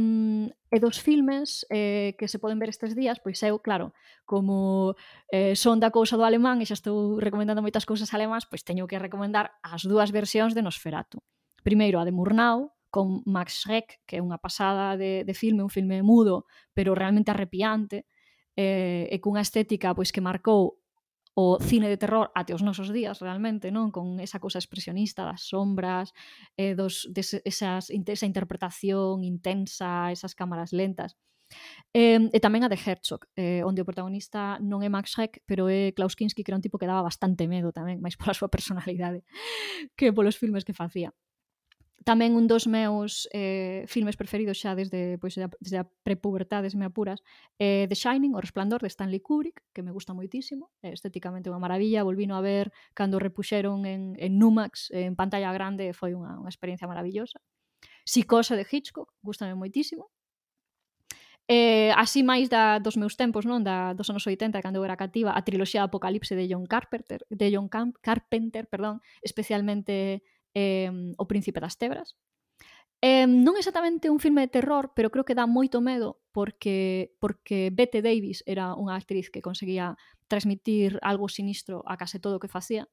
e dos filmes eh, que se poden ver estes días, pois eu, claro, como eh, son da cousa do alemán e xa estou recomendando moitas cousas alemáns, pois teño que recomendar as dúas versións de Nosferatu. Primeiro a de Murnau, con Max Schreck, que é unha pasada de, de filme, un filme mudo, pero realmente arrepiante, eh, e cunha estética pois que marcou o cine de terror até os nosos días, realmente, non? Con esa cousa expresionista das sombras, eh, dos, des, esas, esa interpretación intensa, esas cámaras lentas. Eh, e tamén a de Herzog, eh, onde o protagonista non é Max Schreck, pero é Klaus Kinski, que era un tipo que daba bastante medo tamén, máis pola súa personalidade que polos filmes que facía. Tamén un dos meus eh, filmes preferidos xa desde, pois, desde a prepubertade, se me apuras, é The Shining, O Resplandor, de Stanley Kubrick, que me gusta moitísimo, é estéticamente unha maravilla, volvino a ver cando repuxeron en, en Numax, en pantalla grande, foi unha, unha experiencia maravillosa. Psicose de Hitchcock, gustame moitísimo. Eh, así máis da, dos meus tempos, non? Da, dos anos oitenta, cando eu era cativa, a triloxía de Apocalipse de John Carpenter, de John Camp, Carpenter, perdón, especialmente eh, O Príncipe das Tebras. Eh, non exactamente un filme de terror, pero creo que dá moito medo porque porque Bette Davis era unha actriz que conseguía transmitir algo sinistro a case todo o que facía,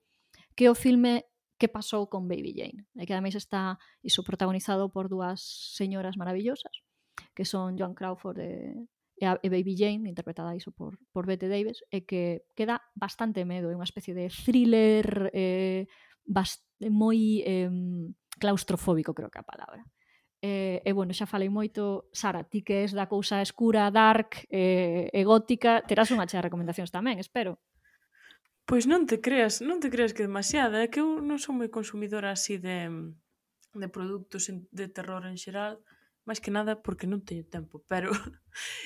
que o filme Que pasou con Baby Jane, e que ademais está iso protagonizado por dúas señoras maravillosas, que son Joan Crawford e, e, a, e Baby Jane, interpretada iso por, por Bette Davis, e que, que dá bastante medo, é unha especie de thriller eh, bast, moi eh, claustrofóbico, creo que é a palabra. E, e bueno, xa falei moito. Sara, ti que és da cousa escura, dark e, e gótica, terás unha chea de recomendacións tamén, espero. Pois non te creas, non te creas que demasiada, é que eu non son moi consumidora así de, de produtos de terror en xeral, máis que nada porque non teño tempo, pero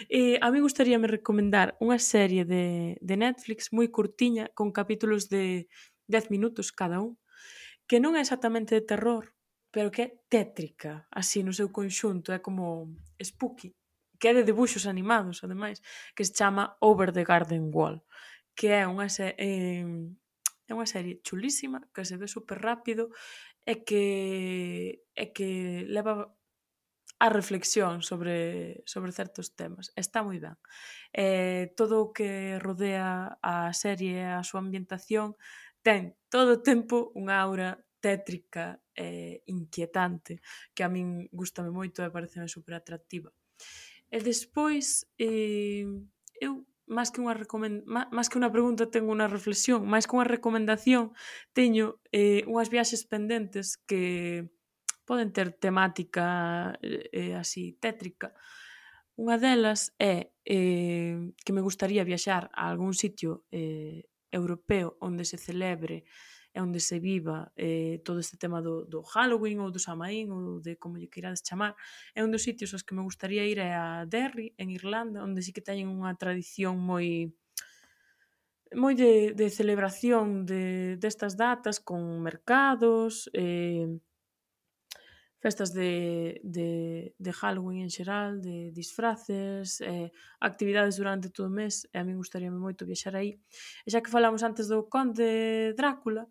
eh, a mí gustaríame recomendar unha serie de, de Netflix moi curtiña, con capítulos de dez minutos cada un, que non é exactamente de terror, pero que é tétrica, así no seu conxunto, é como spooky, que é de debuxos animados, ademais, que se chama Over the Garden Wall, que é unha, se eh, é unha serie chulísima, que se ve super rápido e que, e que leva a reflexión sobre, sobre certos temas. Está moi ben. Eh, todo o que rodea a serie e a súa ambientación ten todo o tempo unha aura tétrica e inquietante que a min gustame moito e pareceme super atractiva. E despois, eh, eu máis que unha recomend... máis que unha pregunta teño unha reflexión, máis que unha recomendación teño eh, unhas viaxes pendentes que poden ter temática eh, así tétrica. Unha delas é eh, que me gustaría viaxar a algún sitio eh, europeo onde se celebre e onde se viva eh, todo este tema do, do Halloween ou do Samaín ou de como lle queirades chamar. É un dos sitios aos que me gustaría ir é a Derry, en Irlanda, onde sí que teñen unha tradición moi moi de, de celebración de destas datas con mercados, eh, festas de, de, de Halloween en xeral, de disfraces, eh, actividades durante todo o mes, e a min gustaríame moito viaxar aí. E xa que falamos antes do Conde Drácula,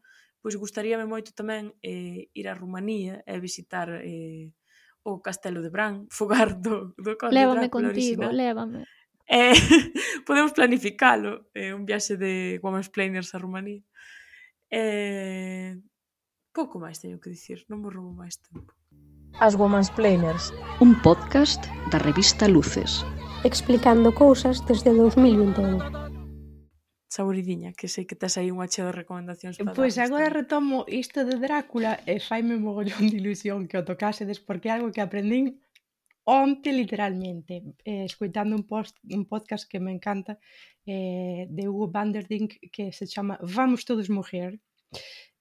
pois gustaríame moito tamén eh, ir a Rumanía e visitar eh, o Castelo de Bran, fogar do, do Conde Lévame Drácula contigo, original. lévame. Eh, podemos planificalo, eh, un viaxe de Womansplainers a Rumanía. Eh, pouco máis teño que dicir, non me roubo máis tempo. As Womansplainers. Un podcast da revista Luces. Explicando cousas desde dous mil vinte e un. Saboridiña, que sei que tes aí unha chea de recomendacións para Pois darnos agora tamén. retomo isto de Drácula e faime mogollón de ilusión que o tocasedes porque é algo que aprendín onte literalmente, eh, escoitando un, post, un podcast que me encanta eh, de Hugo van der Dink que se chama Vamos todos morrer,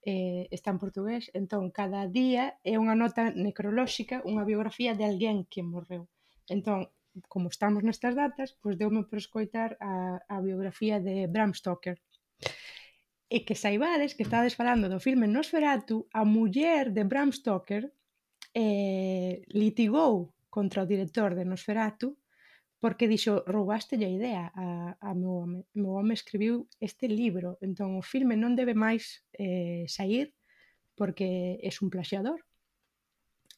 eh, está en portugués, entón cada día é unha nota necrolóxica, unha biografía de alguén que morreu. Entón, como estamos nestas datas, pois deume por escoitar a, a biografía de Bram Stoker. E que saibades que estades falando do filme Nosferatu, a muller de Bram Stoker eh, litigou contra o director de Nosferatu porque dixo, roubástelle a idea a, a meu home. O meu home escribiu este libro, entón o filme non debe máis eh, sair porque é un plaxiador.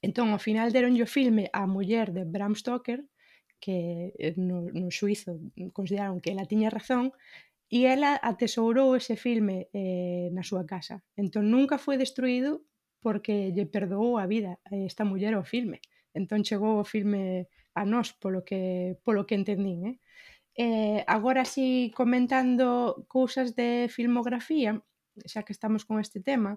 Entón, ao final deronlle o filme á muller de Bram Stoker, que no, no xuizo consideraron que ela tiña razón, e ela atesourou ese filme eh, na súa casa. Entón, nunca foi destruído porque lle perdoou a vida a esta muller ao filme. Entón, chegou o filme a nós, polo que, polo que entendín. Eh? Eh, agora, si comentando cousas de filmografía, xa que estamos con este tema,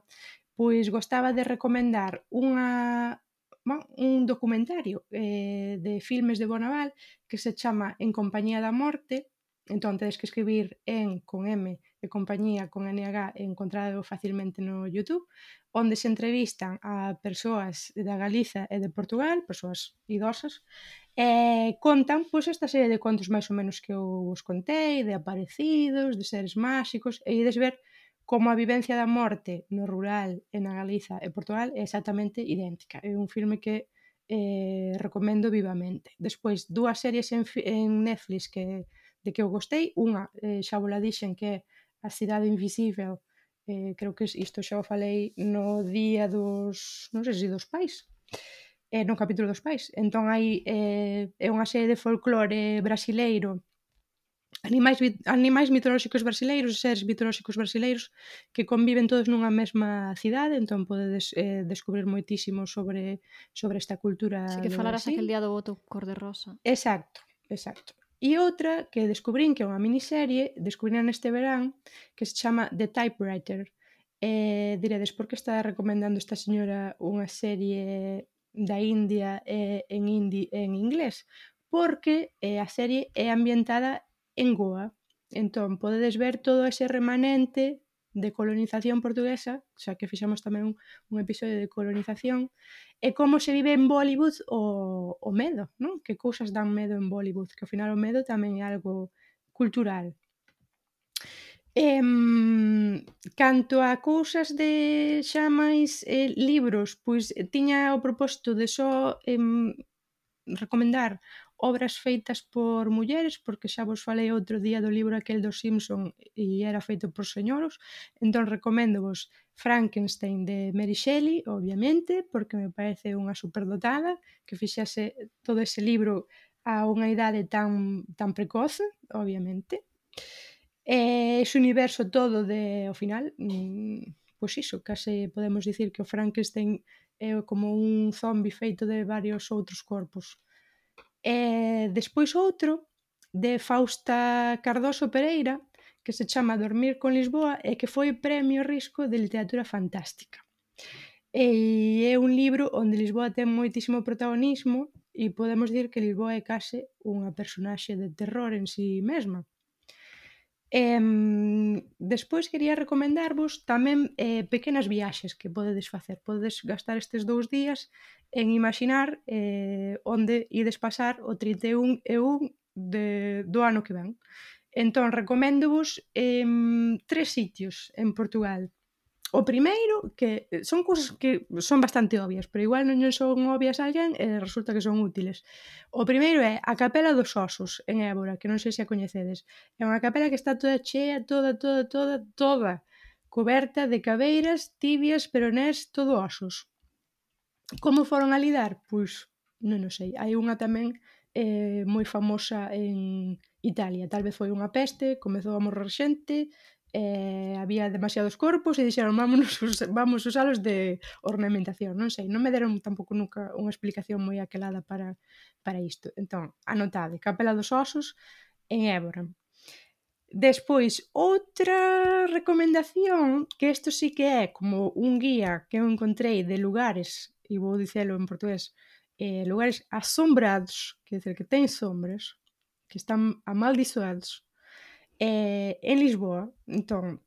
pois gostaba de recomendar unha, bueno, un documentario eh, de filmes de Bonaval que se chama En compañía da morte. Entón, tedes que escribir en con M e compañía con N H e encontrado facilmente no YouTube, onde se entrevistan a persoas da Galiza e de Portugal, persoas idosas, e contan pois, esta serie de contos máis ou menos que eu vos contei, de aparecidos, de seres máxicos, e ides ver como a vivencia da morte no rural e na Galiza e Portugal é exactamente idéntica. É un filme que eh, recomendo vivamente. Despois, dúas series en, en Netflix que de que eu gostei, unha, eh, xa vola dixen que é A cidade invisível, eh, creo que isto xa o falei no día dos, non sei se dos pais, eh, no capítulo dos pais. Entón hai eh, é unha serie de folclore brasileiro, animais, animais mitolóxicos brasileiros, seres mitolóxicos brasileiros que conviven todos nunha mesma cidade, entón podedes eh, descubrir moitísimo sobre, sobre esta cultura Si que do falaras Brasil. aquel día do voto cor-de-rosa. Exacto, exacto. E outra que descubrín que é unha miniserie, descubrín neste verán, que se chama The Typewriter. Eh, diredes, por que está recomendando esta señora unha serie da India eh, en hindi en inglés? Porque eh, a serie é ambientada en Goa. Entón, podedes ver todo ese remanente de colonización portuguesa, xa que fixamos tamén un, un episodio de colonización, e como se vive en Bollywood o, o medo, non? Que cousas dan medo en Bollywood, que ao final o medo tamén é algo cultural. Em, canto a cousas de xa máis eh, libros, pois tiña o propósito de só em, recomendar obras feitas por mulleres, porque xa vos falei outro día do libro aquel dos Simpson e era feito por señoros, entón recoméndovos Frankenstein de Mary Shelley, obviamente, porque me parece unha superdotada que fixase todo ese libro a unha idade tan, tan precoce, obviamente. E ese universo todo de, ao final, mmm, pois iso, case podemos dicir que o Frankenstein é como un zombi feito de varios outros corpos. E despois outro, de Fausta Cardoso Pereira, que se chama Dormir con Lisboa e que foi premio Risco de literatura fantástica. E é un libro onde Lisboa ten moitísimo protagonismo e podemos dir que Lisboa é case unha personaxe de terror en si mesma. E, despois quería recomendarvos tamén eh, pequenas viaxes que podedes facer. Podedes gastar estes dous días en imaginar eh, onde ides pasar o trinta e un e un de, do ano que ven. Entón, recoméndovos eh, tres sitios en Portugal. O primeiro, que son cousas que son bastante obvias, pero igual non son obvias a alguén e resulta que son útiles. O primeiro é a Capela dos Osos, en Évora, que non sei se a coñecedes. É unha capela que está toda chea, toda, toda, toda, toda, coberta de cabeiras, tibias, peronés, todo osos. Como foron a lidar? Pois, non o sei. Hai unha tamén eh, moi famosa en Italia. Tal vez foi unha peste, comezou a morrer xente, eh, había demasiados corpos e dixeron vámonos, vamos usalos de ornamentación. Non sei, non me deron tampouco nunca unha explicación moi aquelada para, para isto. Entón, anotade, Capela dos Osos en Évora. Despois, outra recomendación, que isto sí que é como un guía que eu encontrei de lugares, e vou dicelo en portugués, eh, lugares asombrados, que dizer que ten sombras, que están amaldiçoados, eh, en Lisboa. Entón,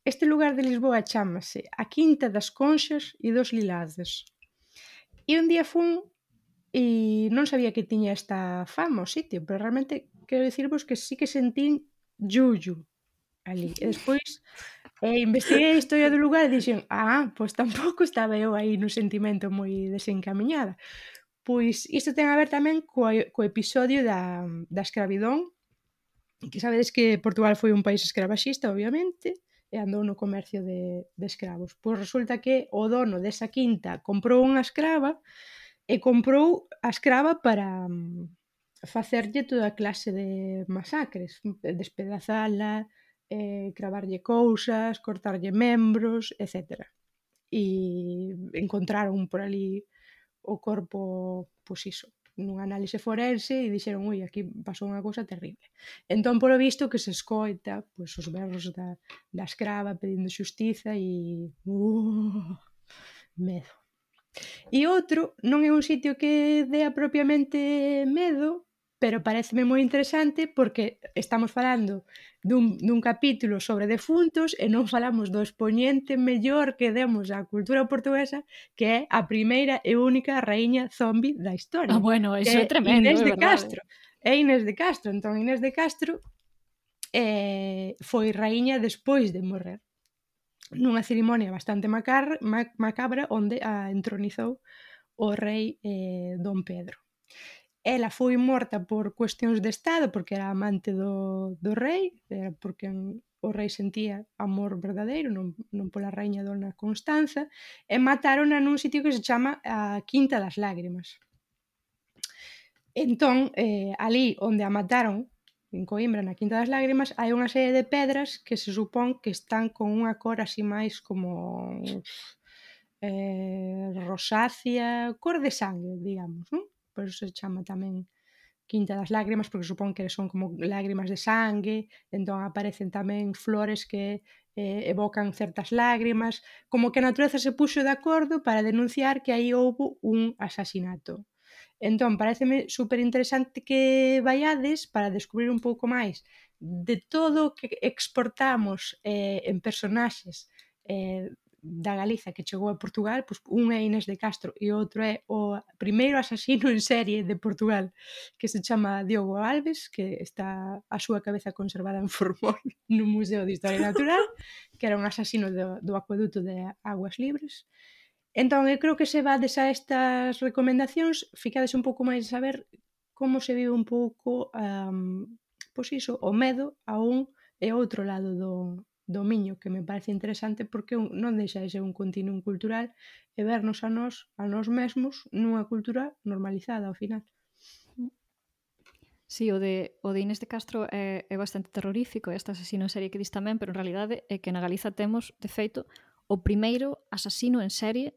este lugar de Lisboa chámase a Quinta das Conxas e dos Lilazes. E un día fun e non sabía que tiña esta fama o sitio, pero realmente quero dicirvos que sí que sentín yuyu ali. E despois eh, investiguei a historia do lugar e dixen, ah, pois tampouco estaba eu aí no sentimento moi desencamiñada. Pois isto ten a ver tamén co, co episodio da, da escravidón, que sabedes que Portugal foi un país escravaxista, obviamente, e andou no comercio de, de escravos. Pois resulta que o dono desa quinta comprou unha escrava e comprou a escrava para facerlle toda clase de masacres, despedazala, eh, cravarlle cousas, cortarlle membros, etcétera. E encontraron por ali o corpo, pois iso, nun análise forense e dixeron, ui, aquí pasou unha cousa terrible. Entón, polo visto, que se escoita pois, os berros da, da escrava pedindo xustiza e... Uh, medo. E outro, non é un sitio que dea propiamente medo, pero pareceme moi interesante porque estamos falando dun, dun capítulo sobre defuntos e non falamos do expoñente mellor que demos á cultura portuguesa, que é a primeira e única raíña zombi da historia. Ah, bueno, eso é tremendo, Inés é de verdade. Castro. É Inés de Castro. Entón, Inés de Castro eh, foi raíña despois de morrer, nunha cerimonia bastante macar, macabra onde a entronizou o rei eh, Dom Pedro. ela foi morta por cuestións de estado, porque era amante do, do rei, era porque o rei sentía amor verdadeiro, non, non pola raíña dona Constanza, e matarona nun sitio que se chama a Quinta das Lágrimas. Entón, eh, ali onde a mataron, en Coimbra, na Quinta das Lágrimas, hai unha serie de pedras que se supón que están con unha cor así máis como eh, rosácea, cor de sangue, digamos, non? Por iso se chama tamén Quinta das Lágrimas, porque supón que son como lágrimas de sangue, entón aparecen tamén flores que eh, evocan certas lágrimas, como que a natureza se puxo de acordo para denunciar que aí houbo un asasinato. Entón, pareceme super interesante que vaiades para descubrir un pouco máis de todo o que exportamos eh, en personaxes eh, da Galiza que chegou a Portugal, pois un é Inés de Castro e outro é o primeiro asasino en serie de Portugal, que se chama Diogo Alves, que está a súa cabeza conservada en Formol no Museo de Historia Natural, que era un asasino do, do acueduto de Aguas Libres. Entón, eu creo que se vades a estas recomendacións, ficades un pouco máis a saber como se vive un pouco um, pois iso, o medo a un e outro lado do, do Miño, que me parece interesante porque non deixa de ser un continuum cultural e vernos a nós, a nós mesmos, nunha cultura normalizada ao final. Sí, o de, o de Inés de Castro é, é bastante terrorífico, este asasino en serie que dis tamén, pero en realidade é que na Galiza temos, de feito, o primeiro asasino en serie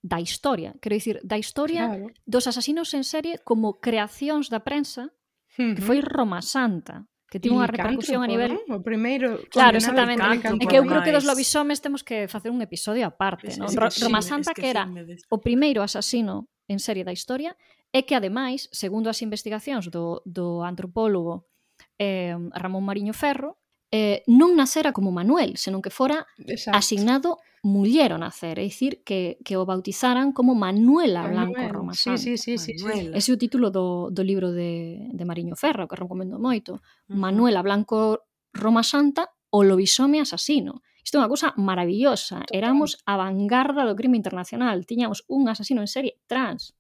da historia. Quero dicir, da historia Claro. dos asasinos en serie como creacións da prensa, que foi Roma Santa, que tivo unha repercusión a nivel... ¿no? O primeiro... Claro, exactamente. Licántropo, É que eu creo que dos ademais. lobisomes temos que facer un episodio aparte, Es- non? es Ro- que Roma sí, Santa, es que que era sí me des- o primeiro asasino en serie da historia, e que ademais, segundo as investigacións do, do antropólogo eh, Ramón Mariño Ferro, eh, non nacera como Manuel, senón que fora Exacto. asignado muller ao nacer, é dicir, que, que o bautizaran como Manuela Blanco Manuel. Roma Sí, Santa. sí, sí, sí, sí. Manuela. Ese é o título do, do libro de, de Mariño Ferro, que recomendo moito. Ujú. Manuela Blanco Roma Santa, o lobisome asasino. Isto é unha cousa maravillosa. Total. Éramos a vanguarda do crime internacional. Tiñamos un asasino en serie trans.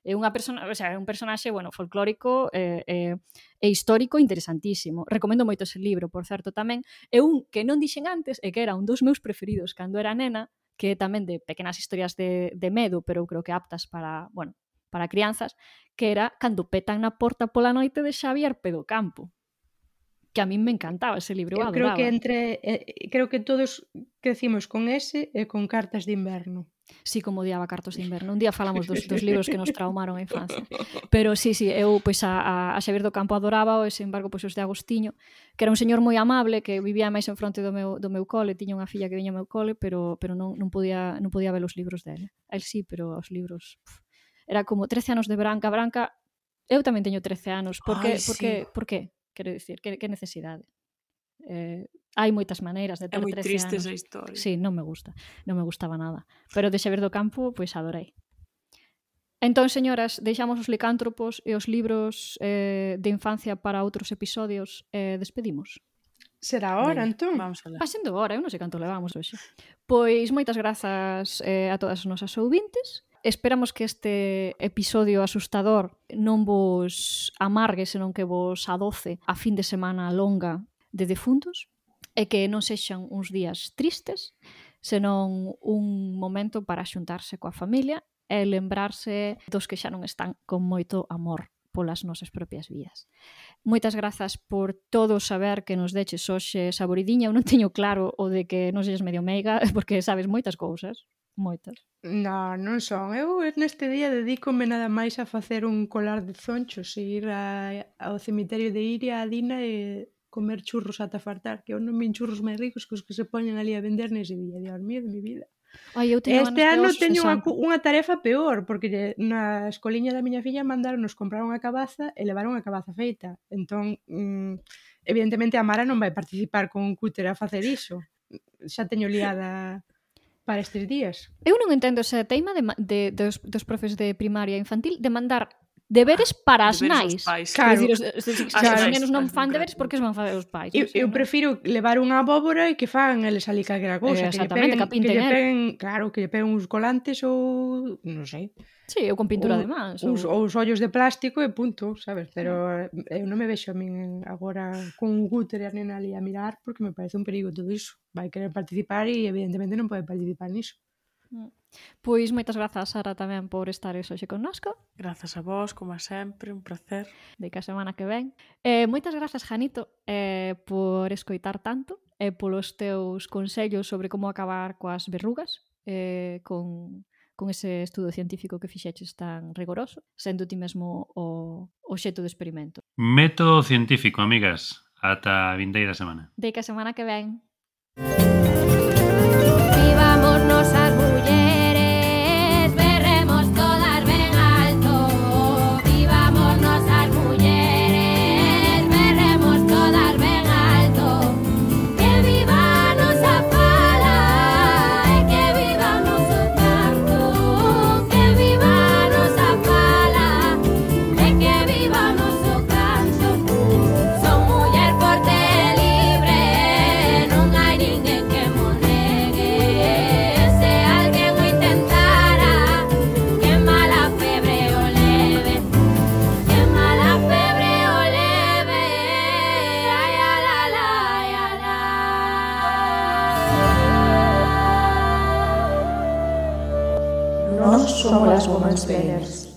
É unha persona, o sea, é un personaxe, bueno, folclórico e, e, e histórico interesantísimo. Recomendo moito ese libro, por certo, tamén. É un que non dixen antes e que era un dos meus preferidos cando era nena, que é tamén de pequenas historias de, de medo, pero eu creo que aptas para, bueno, para crianzas, que era Cando petan na porta pola noite de Xavier Pedocampo. Que a min me encantaba ese libro, eu Eu creo adoraba. que entre eh, creo que todos crecimos con ese e con Cartas de Inverno. Sí, como odiaba Cartos de Inverno. Un día falamos dos, dos libros que nos traumaron a infancia. Pero sí, sí, eu pois a, a, a Xavier do Campo adoraba, e sen embargo pois os de Agostiño, que era un señor moi amable, que vivía máis en fronte do meu, do meu cole, tiña unha filla que viña ao meu cole, pero, pero non, non, podía, non podía ver os libros dele. El sí, pero os libros... Puf, era como trece anos de Branca. Branca, eu tamén teño trece anos. Por que? Ai, Por sí. que? Por que? Quero dicir, que, que necesidade? Eh, hai moitas maneiras de É ter moi trece triste anos. esa historia. Sí, non me gusta, non me gustaba nada. Pero de Xavier do Campo, pois adorei. Entón, señoras, deixamos os licántropos e os libros eh, de infancia para outros episodios e eh, despedimos. Será hora, Veña, entón. Vamos alá. Pasendo hora, eu non sei canto levamos hoxe. Pois moitas grazas eh, a todas as nosas ouvintes. Esperamos que este episodio asustador non vos amargue, senón que vos adoce a fin de semana longa de defuntos e que non sexan uns días tristes, senón un momento para xuntarse coa familia e lembrarse dos que xa non están con moito amor polas nosas propias vidas. Moitas grazas por todo o saber que nos deches hoxe, Saboridiña. Eu non teño claro o de que non sexas medio meiga, porque sabes moitas cousas. Moitas. No, non son. Eu neste día dedícome nada máis a facer un colar de zonchos e ir a, ao cemiterio de Iria, a Dina e comer churros ata fartar, que eu non vin churros máis ricos que os que se poñen ali a vender nese día. Dios mío de mi vida. Ai, eu teño Este ganas de ano osos de teño unha, Santo. cu- unha tarefa peor, porque na escoliña da miña filla mandaronnos comprar unha cabaza e levar unha cabaza feita. Entón, mm, evidentemente a Mara non vai participar con un cúter a facer iso. Xa teño liada para estes días. Eu non entendo ese teima de, ma- de, dos, dos profes de primaria e infantil de mandar Deberes para as Deberes aos nais. pais. Claro. Quero dicir, os, os, os, As os nais, nenos non as fan nais, deberes porque os van facer os pais. Eu, non sei, eu non? prefiro levar unha abóbora e que fagan eles ali calquera cousa. Eh, que lle exactamente, peguen, que a pinten, lle eh. peguen, claro, que lle peguen uns colantes ou, non sei, Sí, ou con pintura ou, de mans. uns, Ou... ou os ollos de plástico e punto, sabes? Pero eh, eu non me vexo a min agora con un cúter e a nena ali a mirar porque me parece un perigo todo iso. Vai querer participar e evidentemente non pode participar niso. Pois moitas grazas, Sara, tamén por estar hoxe connosco. Grazas a vos, como a sempre, un placer. De que a semana que ven. Eh, moitas grazas, Janito, eh, por escoitar tanto e eh, polos teus consellos sobre como acabar coas verrugas eh, con, con ese estudo científico que fixeches tan rigoroso, sendo ti mesmo o, o xeito de experimento. Método científico, amigas. Ata a vindeira semana. De que a semana que ven. Vivamos nosas mulleres, berremos todas ben alto. Vivamos nosas mulleres, berremos todas ben alto. Que viva a nosa fala e que viva o noso canto. Que viva a nosa fala e que viva o noso canto. Son muller forte e libre, non hai ninguén que mo negue. Se alguén o intentara, que mala febre o leve, que mala febre o leve. Ai, ai, ai, ai, ai, ai. Nós somos as Women's Planners.